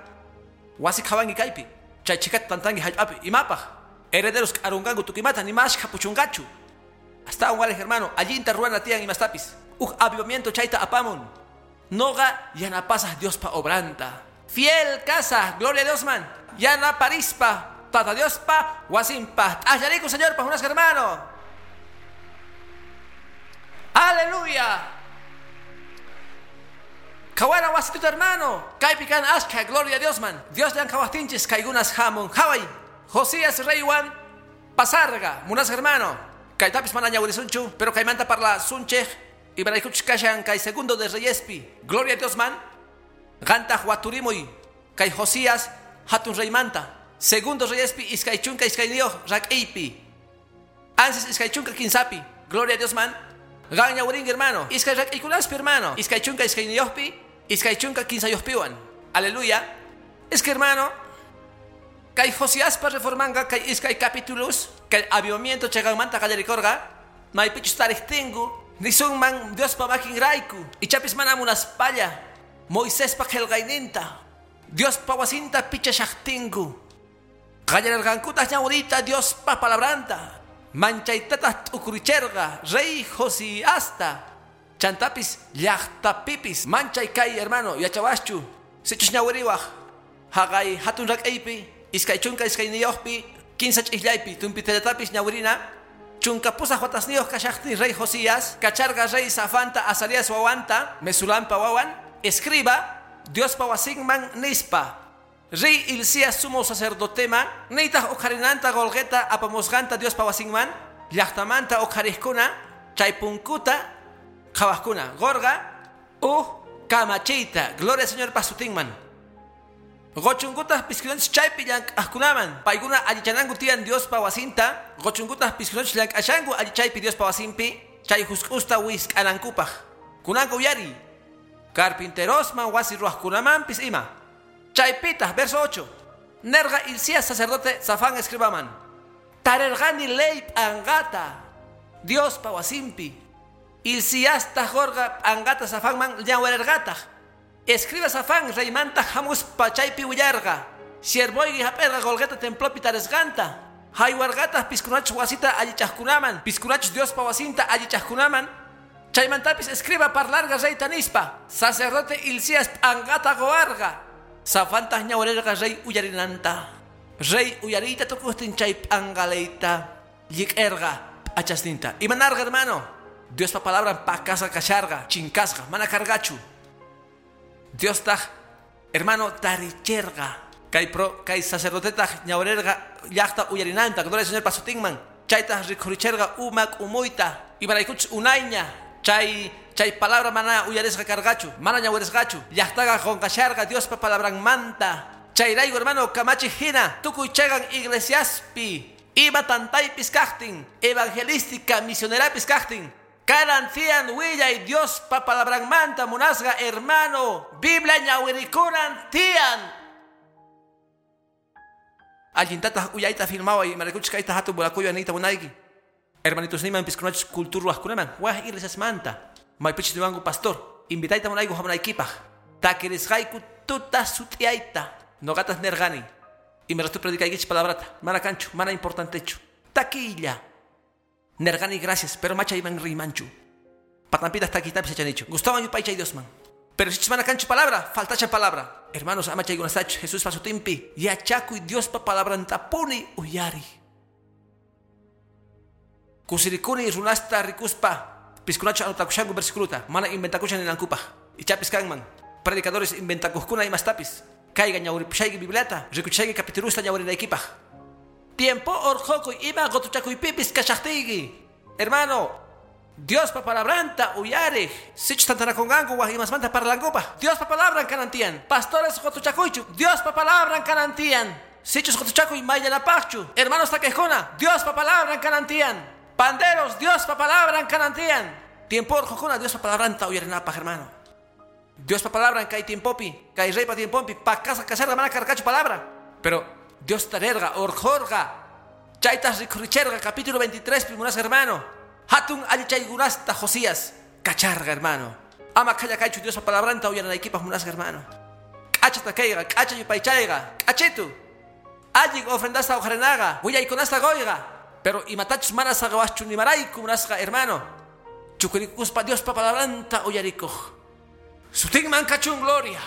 wasi qhawanki kaypi. Chay chhikata tantanki hallp'api imapaq. Herederos k'arunqanku tukimata nimashkha puchunqachu. Astawan walej hermano, allinta ruwana tiyan imastapis. Uj avivamiento chayta apamun. Noqa yanapasaq Diospa obranta. Fiel casa, gloria a Dios man. Yanaparispa, tata Diospa, wasinpa. T'allariku Señorpa, munasqa hermano. Aleluya. Kawana wasituta hermano. Kaypi kan ashkha, gloria a Dios man. Dios llank'awaqtinchis kaykunas hamun. Haway. Josías reywan pasarqa, munasqa hermano. Kaytapis mana ñawirisunchu, pero kaymanta parlasunchik. Imaraykuchus kashan kay segundo de Reyespi. Gloria a Dios man. Qantaq waturimuy kay Josías hatun reymanta. Segundo Reyespi iskay chunka iskayniyuq rak'iypi. Ansis iskay chunka kinsapi. Gloria a Dios man. Qan ñawirinki hermano. Iskay rak'iykunaspi hermano. Iskay chunka iskayniyuqpi, iskay chunka kinsayuqpiwan. Aleluya. Es que hermano, kay Josiaspa reformanga kay iskay capítulos, kay avivamiento chayqanmanta qallarikurqa, maypichus tariqtinku, nisunman Diospa makinrayku, ichapis mana munaspalla, Moisespa qillqayninta, Diospa wasinta pichashaqtinku. Qallararqankutaq ñawiriyta Diospa palabranta, manchaytataq t'ukuricherqa rey Josiasta. Chantapis llaqtapipis manchay kay hermano yachawaschu, sichus ñawiriwaq haqay hatun rak'aypi, iskay chunka iskayniyuqpi, kinsa ch'ijllaypi, tumpitallatapis ñawirina, chunka pusaq watasniyuq kashaqtin rey Josías, kacharqa rey Safanta Azarías wawanta, Mesulampa wawan, escriba Diospa wasinman nispa. Rey Hilcías sumo sacerdotema, niytaq uqharinanta qolqeta apamusqanta Diospa wasinman, llaqtamanta uqhariqkuna, chay punkuta qhawaqkuna, qurqa uj kamachiyta, gloria al Señor pasutinman. Qochunkutaq piskunachus chaypi llank'aqkunaman, paykuna allichananku tiyan Diospa wasinta, qochunkutaq piskunachus llank'ashanku allichaypi Diospa wasinpi, chay husk'usta wisk'anankupaq. Kunanqa uyariy, carpinterosman wasi ruwaqkunamanpis ima. Chaypitaq, verso 8. Nerqa Hilcías sacerdote Safán escribaman. Tarerqani ley p'anqata Diospa wasinpi. Hilciastaq qurqa p'anqata Safanman ñawirarqataq. Escriba Safán reymanta hamuspa chaypi willarqa. Siervoyki hap'irqa qolqeta templopi tarisqanta. Haywarqataq piskunachus wasita allichaqkunaman, piskunachus Diospa wasinta allichaqkunaman. Chaymantapis escriba parlarqa reyta nispa. Sacerdote Hilcías p'anqata quwarqa. Safantaq ñawirirqa rey uyarinanta. Rey uyariyta tukuqtin chay p'anqalayta llik'irqa p'achasninta. Imanarqa hermano? Diospa palabran pakasqa kasharqa, chinkasqa, mana karqachu. Diostaq hermano taricherqa. Kay pro kay sacerdotetaq ñawirirqa llaqta uyarinanta, gloria al Señor pasutinman. Chaytaq rikhuricherqa umak umuyta. Imaraykuchus unayña chay palabra mana uyarisqa karqachu, mana ñawirisqachu. Llaqtaqa qunqasharqa Diospa palabranmanta. Chayrayku hermano kamachi hina tukuy chayqan iglesiaspi ima tantaypis kaqtin, evangelística misionerapis kaqtin. Kanan tiyan willay Diospa palabranmanta munasqa hermano, Biblia ñawirikunan tiyan. Allintataq uyayta filmaway imaraykuchus kayta hatun munakuywan niyta munayki. Hermanitos niman piskunachus kulturwaqkunaman waj iglesiasmanta. Maypichus niwanku pastor, invitayta munayku hamunaykipaq. Takirisqayku tuta sut'iyayta. Noqataq nerqani. Imaraytu predicaykichis palabrata, mana kanchu, mana importantechu. Takiylla. Nerqani gracias, pero machayman riymanchu. Patanpitaq takiytapis yachanichu. Gustawan yupaychay Diosman. Pero sichus mana kanchu palabra, faltacha palabra. Hermanos, ama chaykunastachu Jesuspa sutinpi. Yachakuy Diospa palabrantapuni uyari. Kusirikuni runasta rikuspa. Piskunachu anotakushanku versículuta, mana inventakushan ninankupaq. Ichapis kanman. Predicadores inventakuqkuna imastapis. Kayqa ñawiripushayki Bibliata, rikuchayki capitulusta ñawirinaykipaq. Tiempo orqhukuy ima qutuchakuypipis kashaqtiyki. Hermano, Diospa palabranta uyariq. Sichus tantanakunqanku waj imasmanta parlankupaq. Diospa palabran kanan tiyan. Pastores qutuchakuychu. Diospa palabran kanan tiyan. Sichus qutuchakuy mayllanapaqchu. Hermanos takiqkuna, Diospa palabran kanan tiyan. Panderos, Diospa palabran kanan tiyan. Tiempo orqhukuna Diospa palabranta uyarinapaq, hermano. Diospa palabran kay tiempopi, kay reypa tiempopi, pakasqa kasharqa mana karqachu palabra. Pero Dios tarerqa, orqhurqa. Chaytas rikhuricherqa, capítulo 23, munasqa hermano. Hatun allichaykunasta Josías kacharqa, hermano. Ama khallakaychu Diospa palabranta uyarinaykipaq munasqa hermano. K'acha takayqa, k'acha yupaychayqa, k'achitu. Allin ofrendasta uqharinaqa, willaykunasta quyqa. Pero imatachus mana saqawaschu nimarayku munasqa hermano. Chukurikuspa Diospa palabranta uyarikuq. Sutinman kachun gloria.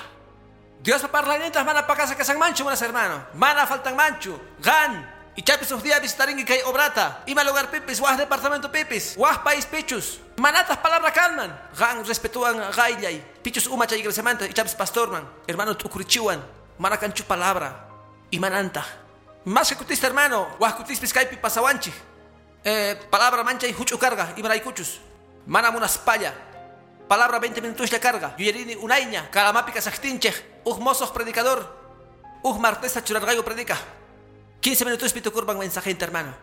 Diospa parlaynintaj mana pakasqa kasanmanchu munasqa hermano. Mana faltanmanchu. Qan ichapis uj día visitarinki kay obrata. Ima lugar pipis, waj departamento pipis, waj país pichus. Manataj palabra kanman. Qan respetuwan qayllay. Pichus uma chay iglesiamanta ichapis pastorman. Hermano t'ukurichiwan. Mana kanchu palabra. Imanantaj. Más que kutista hermano, waj kutispis kaypi pasawanchik. Palabra manchay huch'u karqa imaraykuchus. Mana munaspalla. Palabra 20 minutos la carga. Yuyarini unayña, Calamapi kasaqtinchej, uj mozoq predicador, uj martesa churarqayku predica. 15 minutos pitukurban mensajenta, hermano.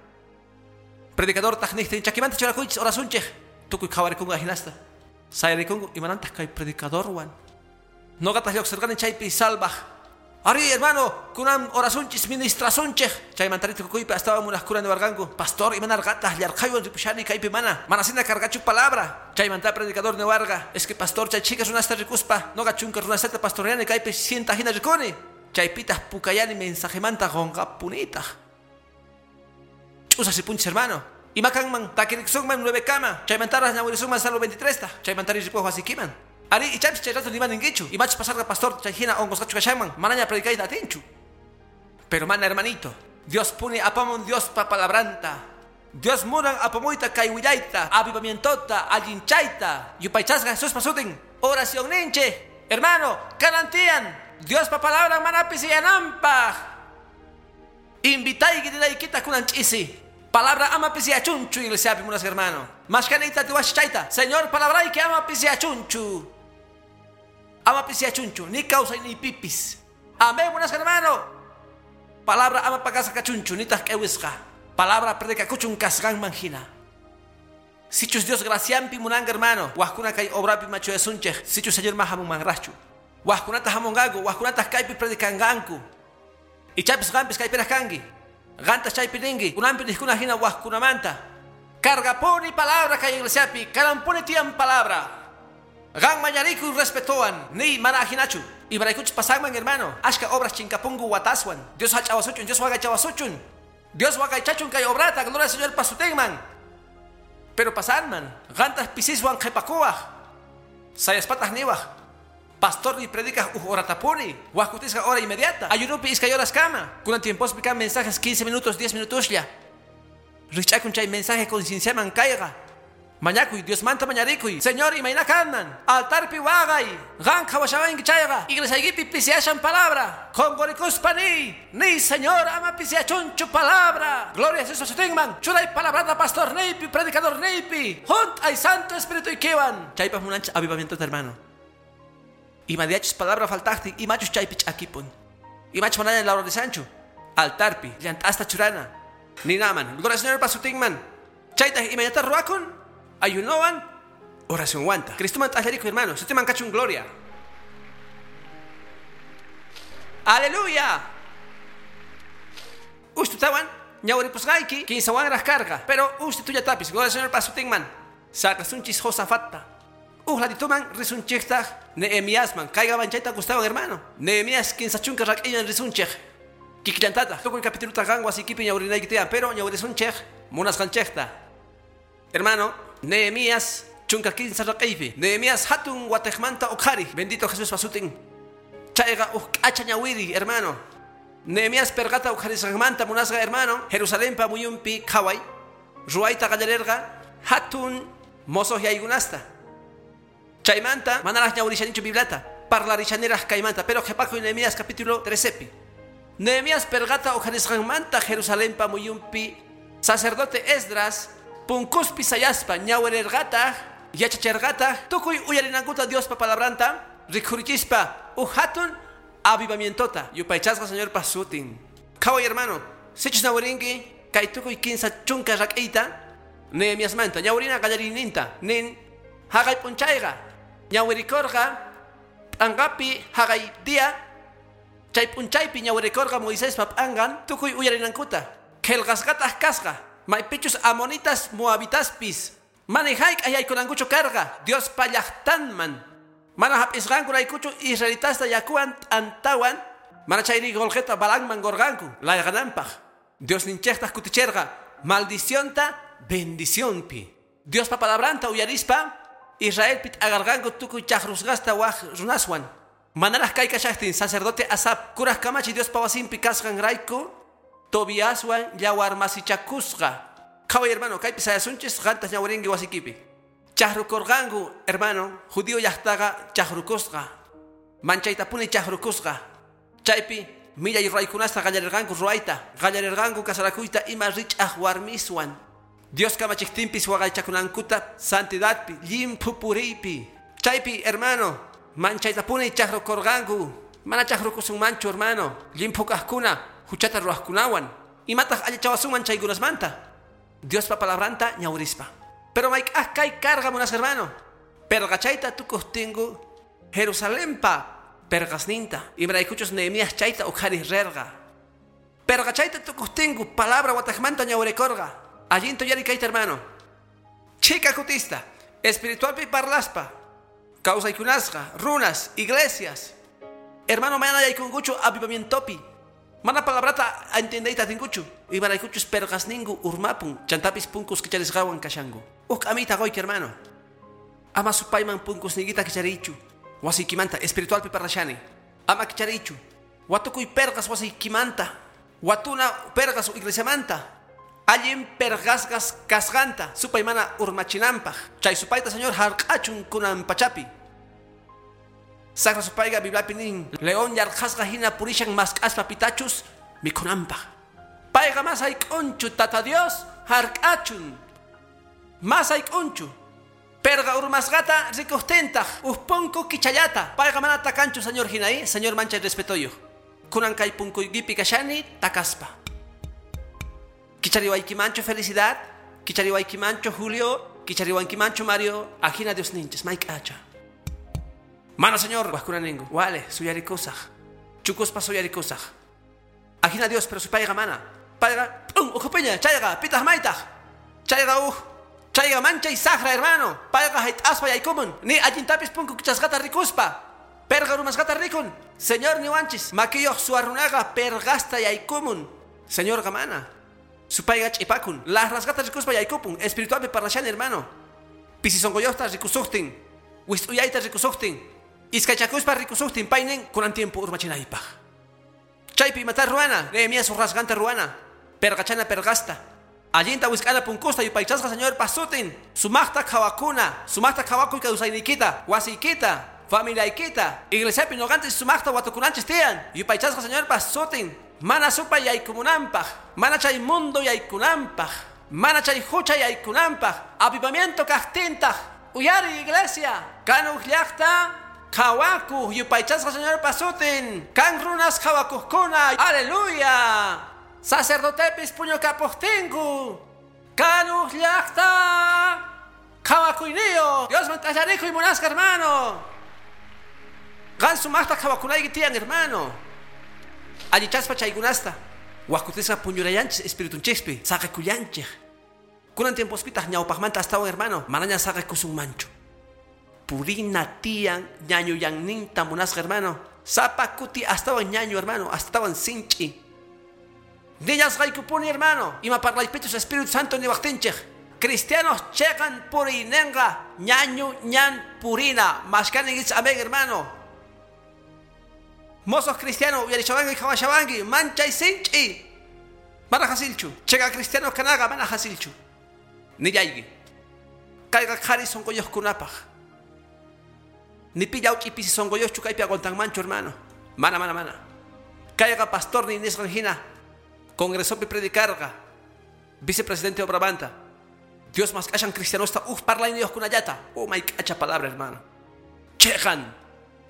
Predicador taq niqtin chakimanta churakuychis orasunchej. Tukuy qhawarikunku ajinasta. Sayarikunku imanantaq kay predicadorwan. Noqataq lluqsirqani chaypi salvaj. Ari, hermano, kunan orasunchis ministrasunchej. Chaymanta tukuypi astawan munaqkuna niwarqanku. Pastor, imanarqataq llarqaywan ripushani kaypi mana. Manasina cargachu palabra. Chaymanta predicador niwarqa. Es que pastor chay chicas runasta rikuspa. Noqa chunka runastata pastoreani kaypi cienta hina rikuni. Chaypitaq pukayani mensajemanta qunqapunitaq. Ch'usas ripunchis, hermano. Ima kanman takiriksunman 9 kama. Chaymantaraq ñawirisunman Salmo 23 ta. Chaymantari ripuq wasikiman. Ari, ichapis chay rato nima ninkichu. Imachus pasarqa pastor chay hina onqosqachu kashanman. Manaña predicayta atinchu. Pero mana, hermanito, Dios pone apamun Dios pa palabranta. Dios munan apamuyta kay willayta, avivamientota, allinchayta. Yupaychasqa Jesús pasutin. Oración ninche. Hermano, karantian. Dios pa palabra manapis yanampaj. Invitayki dinaykita kunan ch'isi. Palabra ama pisiachunchu, iglesia munas hermano. Mashkanita tiwashchayta. Señor, palabrayki ama pisiachunchu. Ama pisiachunchu, ni causa ni pipis. Amén, buenas hermano. Palabra ama pakasa kachunchu, ni taq k'ewisqa. Palabra predica kuchun kasqanman manjina. Sichus Dios graciampi munanga hermano. Wajkuna kay obrapi machuyasunchej. Sichus Señor mahamunmanraqchu. Wajkunata hamunqanku, wajkunataq kaypi predicanqanku. Ichapis qampis kaypiraq kanki. Qantas chaypi ninki, kunanpi niqkuna hina wajkunamanta. Cargapuni palabra kay iglesiapi, karampuni tiyan palabra. Qan mañarikuy respetowan, ni mana ajinachu. Imaraykuchus pasanman, hermano. Ashka obras chinkapunku wataswan. Dios hach'awasuchun, Dios waqaychawasuchun. Dios waqaychachun kay obrata, gloria al Señor pasutinman. Pero pasanman, qantas pisiswan qhipakuwaq. Sayaspataq niwaq. Pastor ni predicas uj horatapuni, wajkutisqa hora inmediata. Ayunupi iskay horas kama. Kunan tiempospi kan mensajes 15 minutos, 10 minutoslla. Rich'akun chay mensaje concienciaman kayqa. Mañakuy, Dios manta mañarikuy. Señor, imayna kanman. Altarpi waqay. Qan qhawashawanki chayqa. Iglesiaykipi pisiashan palabra. Qunqurikuspa ni. Ni, Señor, ama pisiachunchu palabra. Gloria a Jesús sutinman. Churay palabrata pastor niypi, predicador niypi. Junt'ay Santo Espíritu ykiwan. Chaypaq munanchis avivamiento hermano. Imadiachus palabra faltaqtin, imachus chaypi ch'akipun. Imachus manaña lawrarisanchu. Altarpi, llant'asta churana. Ninaman, gloria al Señor pasutinman. Chaytaq imaynata ruwakun. Ayunowan, oración wanta. Cristoman t'aqllarikuy, hermano. Sutiman kachun gloria. Aleluya. Ustutawan, ñawripusqayki, kinsawanraq karqa. Pero ustitullatapis, gloria al Señor pasutinman. Saqasunchis Josafatta. Uj ladituman risunchejtaq Nehemiasman. Kayqa chayta gustawan, hermano. Nehemías kinsa chunka rak'illan risunchej. Kikillantataq tukuy capituluta qan wasikipi ñawrinayki tiyan, pero ñawrisunchej munasqanchejta. Hermano, Nehemías chunka kinsa raq'iypi. Nehemías hatun watejmanta uqhari. Bendito Jesús pasutin. Chayqa uj k'acha ñawiri, hermano. Nehemías perqata uqharisqanmanta munasqa, hermano. Jerusalenpa muyunpi qhaway. Ruwayta qallarerqa hatun mozoq yaykunasta. Chaymanta manaraq ñawrishanichu Bibliata, parlarishaniraq kaymanta, pero qhipakuy Nehemías capítulo 13pi. Nehemías perqata uqharisqanmanta Jerusalenpa muyunpi sacerdote Esdras punkuspi sayaspa ñawirerqataq yachacherqataq tukuy uyarinankuta Diospa palabranta rikhurichispa uj hatun avivamientota. Yupaychasqa Señor pasutin. Qhaway, hermano, sichus ñawirinki kay tukuy kinsa chunka rak'iyta Nehemiasmanta ñawirina qallariyninta nin haqay p'unchayqa ñawirikurqa p'anqapi haqay día chay p'unchaypi ñawirikurqa Moisespa p'anqan tukuy uyarinankuta qillqasqataq kasqa maypichus amonitas moabitaspis mana hayk'aq yaykunankuchu karqa Diospa llaqtanman mana hap'isqankuraykuchu israelitasta yakuwan t'antawan mana chayri qulqita Balaamman qurqanku layqananpaq. Diosninchejtaq kuticherqa maldicionta bendicionpi. Diospa palabranta uyarispa Israelpi t'aqarqanku tukuy chaqrusqasta waj runaswan. Manaraq kay kashaqtin sacerdote Asap kuraq kamachi Diospa wasinpi kasqanrayku Tobiaswan llawarmasichakusqa. Qhaway, hermano, kaypi sayasunchis qantas ñawirinki wasikipi. Chaqrukurqanku, hermano, judío llaqtaqa chaqrukusqa. Manchaytapuni chaqrukusqa. Chaypi millay ruwaykunasta qallarirqanku ruwayta, qallarirqanku kasarakuyta ima rich'aq warmiswan. Dios kamachiqtinpis waqaychakunankuta santidadpi, llimphu puriypi. Chaypi, hermano, manchaytapuni chaqrukurqanku. Mana chaqrukusunmanchu, hermano. Llimphu kaqkuna, huchata ruwaqkunawan. Imataq allichawasunman chaykunasmanta? Diospa palabranta ñawrispa. Pero mayk'aq kay karqa, munasqa hermano. Perqachayta tukuqtinku Jerusalempa perqasninta. Imaraykuchus Nehemías chayta uqhariq rirqa. Perqachayta tukuqtinku palabra wataqmanta ñawrikurqa. Allinta uyariy kayta, hermano. Chika kutista, espiritualpi parlaspa, kawsaykunasqa, runas, iglesias. Hermano, mana yaykunkuchu avivamientopi. Mana palabrata entendeyta atinkuchu. Imaraykuchus perqasninku urmapun, chantapis punkus kicharisqawan kashanku. Uj k'amiyta quyki, hermano. Ama supayman punkusniykita kichariychu. Wasiykimanta espiritualpi parlashani. Ama kichariychu. Watukuy perqas wasiykimanta. Watuna perqas iglesiamanta. Allin perqasqas kasqanta supay mana urmachinanpaq. Chay supayta Señor hark'achun kunan pachapi. Saqra supayqa Bibliapi nin, león yarqhasqa hina purishan mask'aspa pitachus mikhunanpaq. Payqa mas hayk'unchu Tata Dios hark'achun. Mas hayk'unchu. Perqa urmasqata rikuqtintaq uj punku kichallata. Payqa mana takanchu Señor hina, Señor manchay respetoyuq. Kunan kay punkuykipi kashani takaspa. Kichariwaykimanchu Felicidad, kichariwaykimanchu Julio, kichariwankimanchu Mario, ajina Dios ninchis, mayk'acha. Mana Señor, wajkuna ninku, wale, suyarikusaq. Chukuspa suyarikusaq. Ajina Dios, pero supayqa mana. Payqa, pum, ukhupiña, chayqa, pitaq maytaq. Chayqa uj, chayqa manchay saqra, hermano. Payqa hayt'aspa yaykumun, ni allintapis punku kichasqata rikuspa. Perqa urmasqata rikun. Señor niwanchis, makiyuq suwa runaqa perqasta yaykumun. Señorqa mana. Supayqa ch'ipakun. Laqrasqata rikuspa yaykupun. Espiritualpi parlashani, hermano. Pisi sunquyuqta rikusuqtin. Wist'uyayta rikusuqtin. Iskaychakuspa rikusuqtin paynin kunan tiempo urmachinaypaq. Chaypi imata ruwana, Nehemías urrasqanta ruwana. Perqachana perqasta. Allinta wisk'ana punkusta yupaychasqa Señorpa sutin. Sumaqta qhawakuna, sumaqta qhawakuy kawsayniykita, wasiykita, familiaykita. Iglesiapi ñuqanchis sumaqta watukunanchis tiyan. Yupaychasqa Señorpa sutin. Mana supay yaykumunanpaq, mana chay mundo yaykunanpaq, mana chay hucha yaykunanpaq. Avivamiento kaqtintaq. Uyari iglesia, kan uj llaqta qhawakuq yupaychasqa Señorpa sutin. Kan runas qhawakuqkuna. Aleluya. Sacerdotepis puñukapuqtinku. Kan uj llaqta qhawakuyniyuq. Diosman t'allarikuy munasqa, hermano. Qan sumaqta qhawakunayki tiyan, hermano. Allichaspa chaykunasta. Wajkutisqa puñurayanchis espiritunchispi, saqekullanchik. Kunan tiempospitaq ñawpaqmanta astawan, hermano, manaña saqekusunmanchu. Purina tiyan ñañuyanninta munasqa, hermano. Sapa kuti astawan ñañu, hermano, astawan sinch'i. Nillasqaykupuni, hermano. Ima parlaypichus Espíritu Santo niwaqtinchik. Cristianos cheqan puriynenqa ñañu ñan purina. Mashkaninkichis, amén, hermano. Mozos cristianos, uyarishawanki, qhawashawanki, manchay sinch'i. Mana hasilchu. Cheqa cristianos kanaqa mana hasilchu. Nillayki. Kayqa qhari sunquyuqkunapaq. Ni pi llawch'i pisi sunquyuqchu kaypi aguantanmanchu, hermano. Mana, mana, mana. Kayqa pastor ni nisqan hina. Congresopi predicarqa. Vicepresidente obramanta. Dios mask'ashan cristianosta uj parlayniyuqkunallata. Oh, mayk'acha palabra, hermano. Cheqan.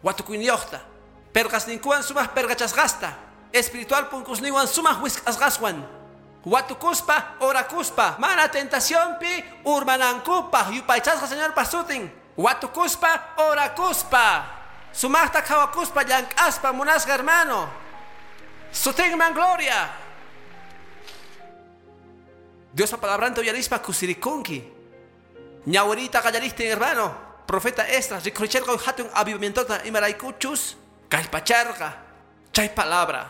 Watukuyniyuqta. Perqasninkuwan sumaq perqachasqasta. Espiritual punkusninwan sumaq wisk'asqaswan. Watukuspa, orakuspa, mana tentacionpi urmanankupaq yupaychasqa Señorpa sutin. Watukuspa, orakuspa. Sumaqta qhawakuspa, llank'aspa, munasqa, hermano. Sutinman gloria. Diospa palabranta uyarispa kusirikunki. Ñawiriyta qallarishtin, hermano. Profeta Esdras rikhuricharqa hatun avivamientota imaraykuchus kallpacharqa chay palabra.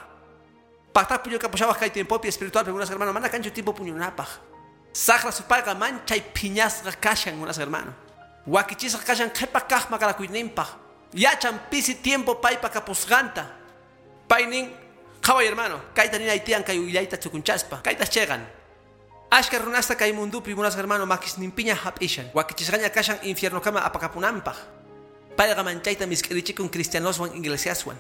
Paqta puñukapushawaq kay tiempopi espiritual, munasqa hermano, mana kanchu tiempo puñunapaq. Saqra supayqa manchay phiñasqa kashan, munasqa hermano. Wakichisqa kashan qhipa kaq maqanakuyninpaq. Yachan pisi tiempo paypa kapusqanta. Paynin qhaway, hermano, kayta ninay tiyan kay willayta chukunchaspa. Kaytas cheqan. Ashka runasta kay mundupi, munasqa hermano, makisninpiña hap'ishan. Wakichisqaña kashan infiernokama apakapunanpaq. Payqa manchayta misk'irichikun cristianoswan iglesiaswan.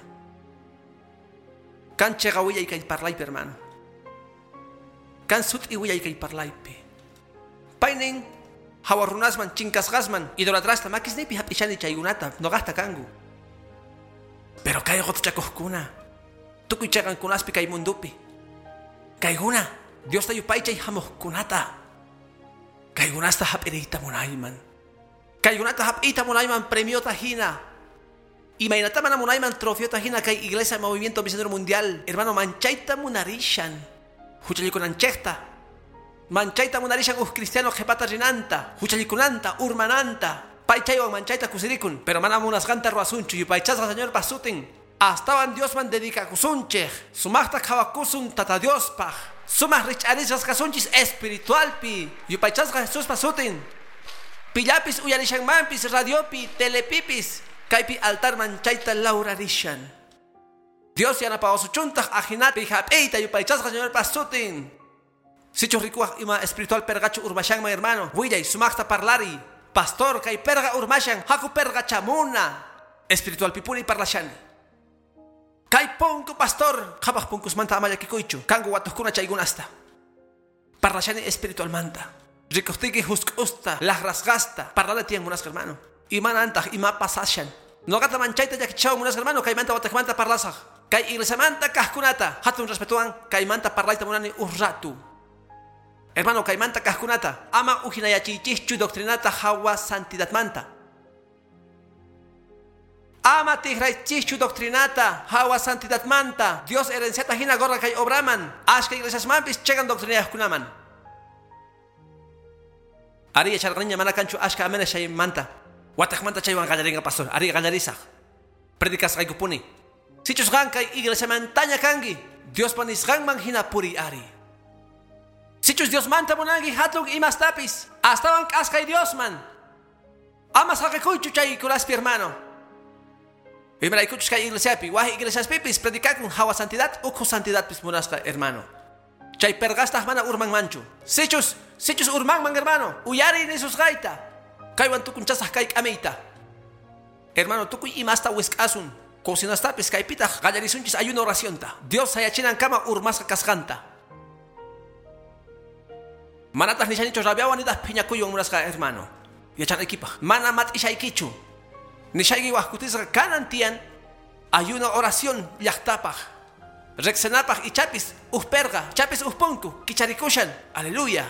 Kan cheqa willay kay parlaypi, hermano. Kan sut'i willay kay parlaypi. Paynin Hawa runasman chinkasqasman idolatrasta makisniypi hap'ishani chaykunata noqasta kanku. Pero kay qotuchakuqkuna tukuy chayqankunaspi kay mundupi. Kaykuna Diosta yupaychay hamuqkunata. Kaykunasta hap'iriyta munayman. Kaykunata hap'iyta munayman premiota hina. Imaynata mana munayman trofeota hina kay Iglesia Movimiento Misionero Mundial. Hermano, manchayta munarishan. Huchallikunanchejta. Manchayta munarishan uj cristiano qhipata rinanta, huchallikunanta, urmananta. Paychaywan manchayta kusirikun, pero mana munasqanta ruwasunchu yupaychasqa Señorpa sutin. Astawan Diosman dedicakusunchej. Sumaqta qhawakusun Tata Diospaj. Sumaq rich'arisqas kasunchis espiritualpi. Yupaychasqa Jesuspa sutin. Pillapis uyarishanmanpis radiopi, telepipis. Kaypi altarman chayta laurarishan. Dios yanapawasuchuntaq ajinapi hap'iyta yupaychasqa Señorpa sutin. Sichus rikuwaq ima espiritual perqachu urmashanman hermano. Willay sumaqta parlari. Pastor kay perqa urmashan haku perqa chamuna. Espiritual pipuni parlashani. Kay punku pastor qhapaq punkusmanta ama llakikuychu. Kanku watuqkuna chaykunasta. Parlashani espiritualmanta. Rikuqtiyki husk'usta, laqrasqasta. Parlana tiyan munasqa hermano. Imanantaq ima pasashan. Noqata manchayta llakichawan munasqa hermano kaymanta wataqmanta parlasaq. Kay iglesiamanta kaqkunata hatun respetuwan kaymanta parlayta munani uj ratu. Hermano, kaymanta kaqkunata ama ujinayachiychischu doctrinata hawa santidadmanta. Ama tikraychischu doctrinata hawa santidadmanta. Dios herenciata hina gorra kay obraman. Ashka iglesiasmanpis chegan doctrinayaqkunaman. Ari yacharqaniña mana kanchu ashka amenes chaymanta. Wataqmanta chaywan qallarinqa pastor. Ari qallarisaq. Predicasqaykupuni. Sichus qan kay iglesiamantaña kanki, Diospa nisqanman hina puriy ari. Sichus Diosmanta munanki hatun imastapis, astawan k'askay Diosman. Ama saqikuychu chaykunaspi hermano. Imaraykuchus kay iglesiapi, waj iglesiaspipis predicakun hawa santidad ukhu santidadpis munasqa hermano. Chay perqastaq mana urmanmanchu. Sichus urmanman hermano, uyariy nisusqayta. Kaywan tukunchasaq kay k'amiyta. Hermano, tukuy imasta wisk'asun. Cocinastapis kaypitaq qallarisunchis ayuno oracionta. Dios sayachinankama urmasqa kasqanta. Manataq nishanichu rabiawan nitaq phiñakuywan munasqa hermano. Yachanaykipaq mana mat'ishaykichu. Nishayki waj kutisqa kanan tiyan ayuno oración llaqtapaq. Rexenapaq ichapis uj perqa, ichapis uj punku, kicharikushan. Aleluya.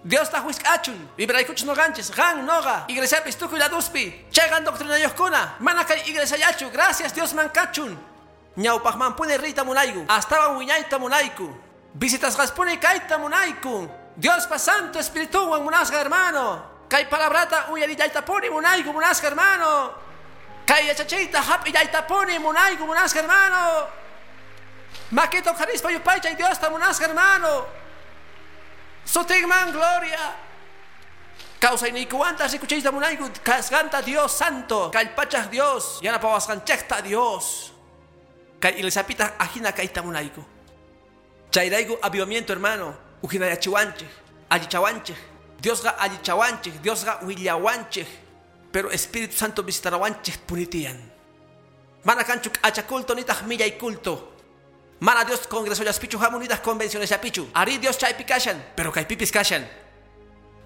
Dios ta wisk'achun, vibraykuchus noqanchis, qan noqa, iglesiapis tukuy laduspi, chayqan doctrinayuqkuna, mana kay iglesiallachu, gracias Diosman kachun. Ñawpaqmanpuni riyta munayku, astawan wiñayta munayku, visitasqaspuni kayta munayku. Diospa Santo Espirituwan munasqa hermano. Kay palabrata uyarillaytapuni munayku munasqa hermano. Kay yachachiyta hap'illaytapuni munayku munasqa hermano. Makita uqharispa yupaychay Diosta munasqa hermano. Sutinman gloria. Kawsayniykuwanta rikuchiyta munayku kasqanta Dios Santo, kallpachaq Dios, yanapawasqanchikta Dios. Kay iglesiapitaq ajina kayta munayku. Chayrayku avivamiento hermano, ujinayachiwanchik, allichawanchik, Diosqa allichawanchik, Diosqa willawanchik, pero Espíritu Santo visitarawanchik punitiyan. Mana kanchu k'acha culto nitaq millay culto. Mana Dios congresollaspichu hamun nitaq convencionesllapichu. Ari Dios chaypi kashan, pero kaypipis kashan.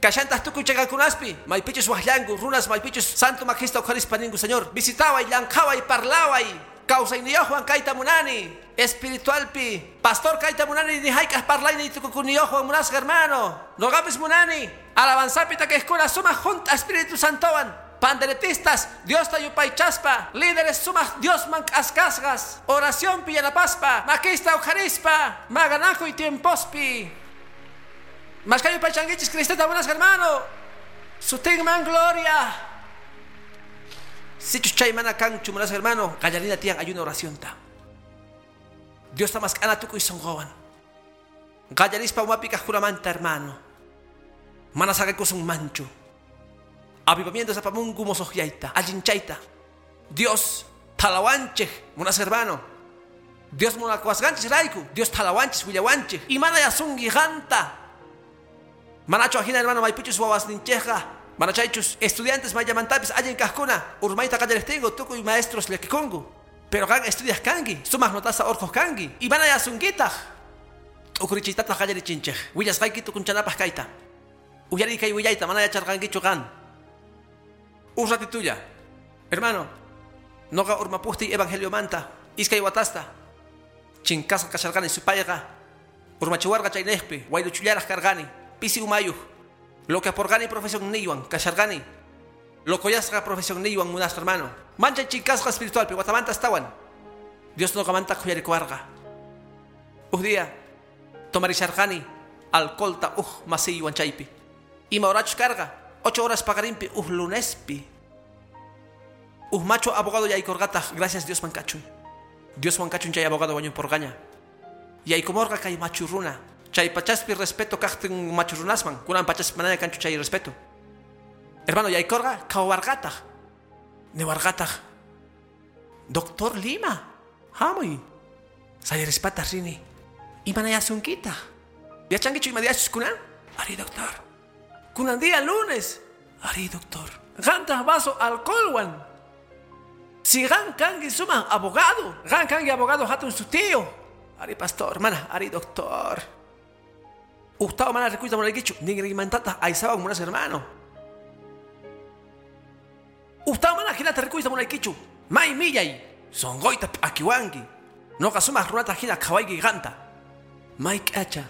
Kashantaq tukuy chayqankunaspi, maypichus waqllanku, runas maypichus santo makista uqharispa ninku, Señor, visitaway, llanqhaway, parlaway, kawsayniyuqwan kayta munani, espiritualpi, pastor kayta munani, ni hayk'aq parlayni tukukuniyuqwan munasqa hermano, noqapis munani, alabanzapi takiqkuna sumaq junta Espíritu Santowan, panderetistas, Diosta yupaychaspa, líderes sumaq Diosman k'askasqas, oracionpi yanapaspa, makista uqharispa, maqanakuy tiempospi. Mashka yupaychankichis Cristota munasqa hermano, sutinman gloria. Sichus chay mana kanchu munasqa hermano, qallarina tiyan ayuno oracionta. Diosta mask'ana tukuy sunquwan. Qallarispa umapi kaqkunamanta hermano. Mana saqikusunmanchu. Avivamiento apamunku mosoqyayta, allinchayta. Dios thalawanchik munasqa hermano. Dios munakuwasqanchis rayku, Dios thalawanchis willawanchik. Imana yasunki qanta. Manachu ajina hermano maypichus wawasninchikqa, mana chaychus estudiantes mayllamantapis allin kaqkuna, urmayta qallariqtinku tukuy maestros llakikunku. Pero qan estudiaq kanki, sumaq notasta urquq kanki. Imana yasunkitaq. T'ukurichiytataq qallarichinchik. Willasqayki tukunchanapaq kayta. Uyariy kay willayta mana yacharqankichu qan. Uj ratitulla. Hermano, noqa urmapuqtiy evangeliomanta iskay watasta. Chinkasqa kasharqani supayqa. Urmachiwarqa chaynejpi wayluchullaraq karqani. Pisi umayuq. Loqueaporqani profesionniywan kasharqani. Locoyasqa profesionniywan munasqa hermano. Manchay chinkasqa espiritualpi watamanta astawan. Dios noqamanta khuyarikuwarqa. Uj día tomarisharqani alcoholta uj masiywan chaypi. Ima horachus karqa 8 horas paqarinpi uj lunespi. Uj macho abogado yaykurqataq, gracias Diosman kachun. Dioswan kachun chay abogado wañupurqaña. Yaykumurqa kay machu runa. Chay pachaspi respeto kaqtin machu runasman, kunan pachaspi manaña kanchu chay respeto. Hermano, yaykurqa qhawarqataq. Niwarqataq. Doctor Lima, hamuy. Sayarispataq rini. Imanayasunkitaq. Yachankichu ima diachus kunan? Ari, doctor. Kunan día lunes. Ari, doctor. Qantaq vaso alcoholwan. Si qan kanki sumaq abogado. Qan kanki abogado hatun sutiyo. Ari, pastor, mana, ari, doctor. Ujtawa mana rikuyta munaykichu. Ninrimantataq aysawan munas hermano. Ujtawa mana hinata rikuyta munaykichu. May millay. Sonqoyta p'akiwanki. Noqa sumaq runata hina qhawayki qanta. May k'acha.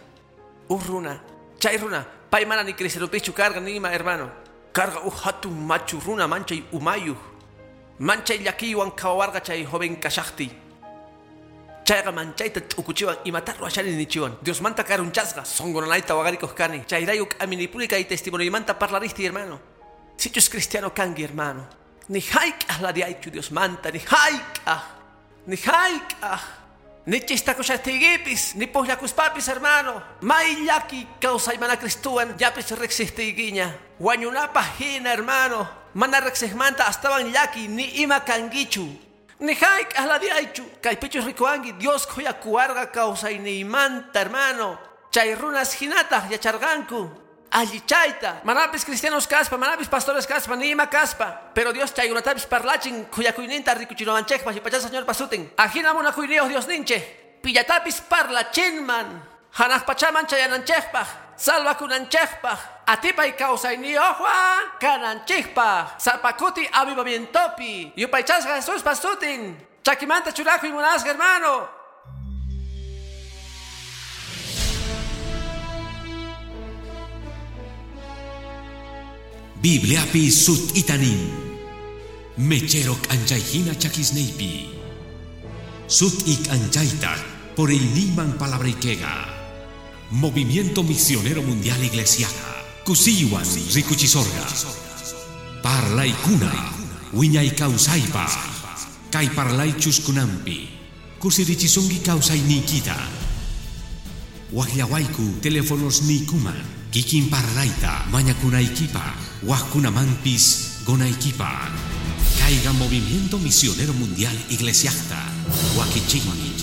Uj runa. Chay runa. Pay mana ni cristeropichu karqa nima hermano. Karqa uj hatun machu runa manchay umayuq. Manchay llakiywan qhawawarqa chay joven kashaqtiy. Chayqa manchayta t'ukuchiwan imata ruwashani nichiwan. Diosmanta karunchasqa sonqonanayta waqarikuq kani. Chayrayku k'aminipuni kay testimonioymanta parlarishti hermano. Sichus cristiano kanki hermano. Ni hayk'aq ladiaychu Diosmanta, ni hayk'aq. Ni hayk'aq. Ni chistakushaqtiykipis, ni puqllakuspapis hermano. May llaki kawsay mana Cristuwan llapis riqsiptiykiña. Wañunapaq hina hermano. Mana riqsiqmanta astawan llaki ni ima kankichu. Ni hayk'aq ladiaychu. Kaypichus rikuwanki Dios khuyakuwarqa kawsayniymanta hermano. Chay runas hinataq yacharqanku. Allichayta. Manapis cristianos kaspa, manapis pastores kaspa, ni ima kaspa. Pero Dios chaykunatapis parlachin khuyakuyninta rikuchinawanchikpaq yupaychasqa Señor pasutin. Ajina munakuyniyuq Dios ninchik. Pillatapis parlachinman. Hanaq pachaman chayananchikpaq. Salvakunanchikpaq. Atipay kawsayniyuqwan kananchikpaq. Sapakuti avivamientopi. Yupaychasqa Jesús pasutin. Chakimanta churakuy munasqa hermano. Bibliapi sut'itanin. Mechero k'anchayhina chakisniypi. Sut'i k'anchaytaq por el niman palabrayquega. Movimiento Misionero Mundial Iglesiaja. Kusiywan rikuchisorqa. Parlaykuna wiñay kawsaypaq. Kay parlaychus kunanpi. Kusirichisunki kawsayniykita. Waqllawayku teléfonos niykuman. Kikin parlayta mañakunaykipaq. Waqkunamanpis gonaykipaq. Kayqa Movimiento Misionero Mundial Iglesiajta. Wakichikmi.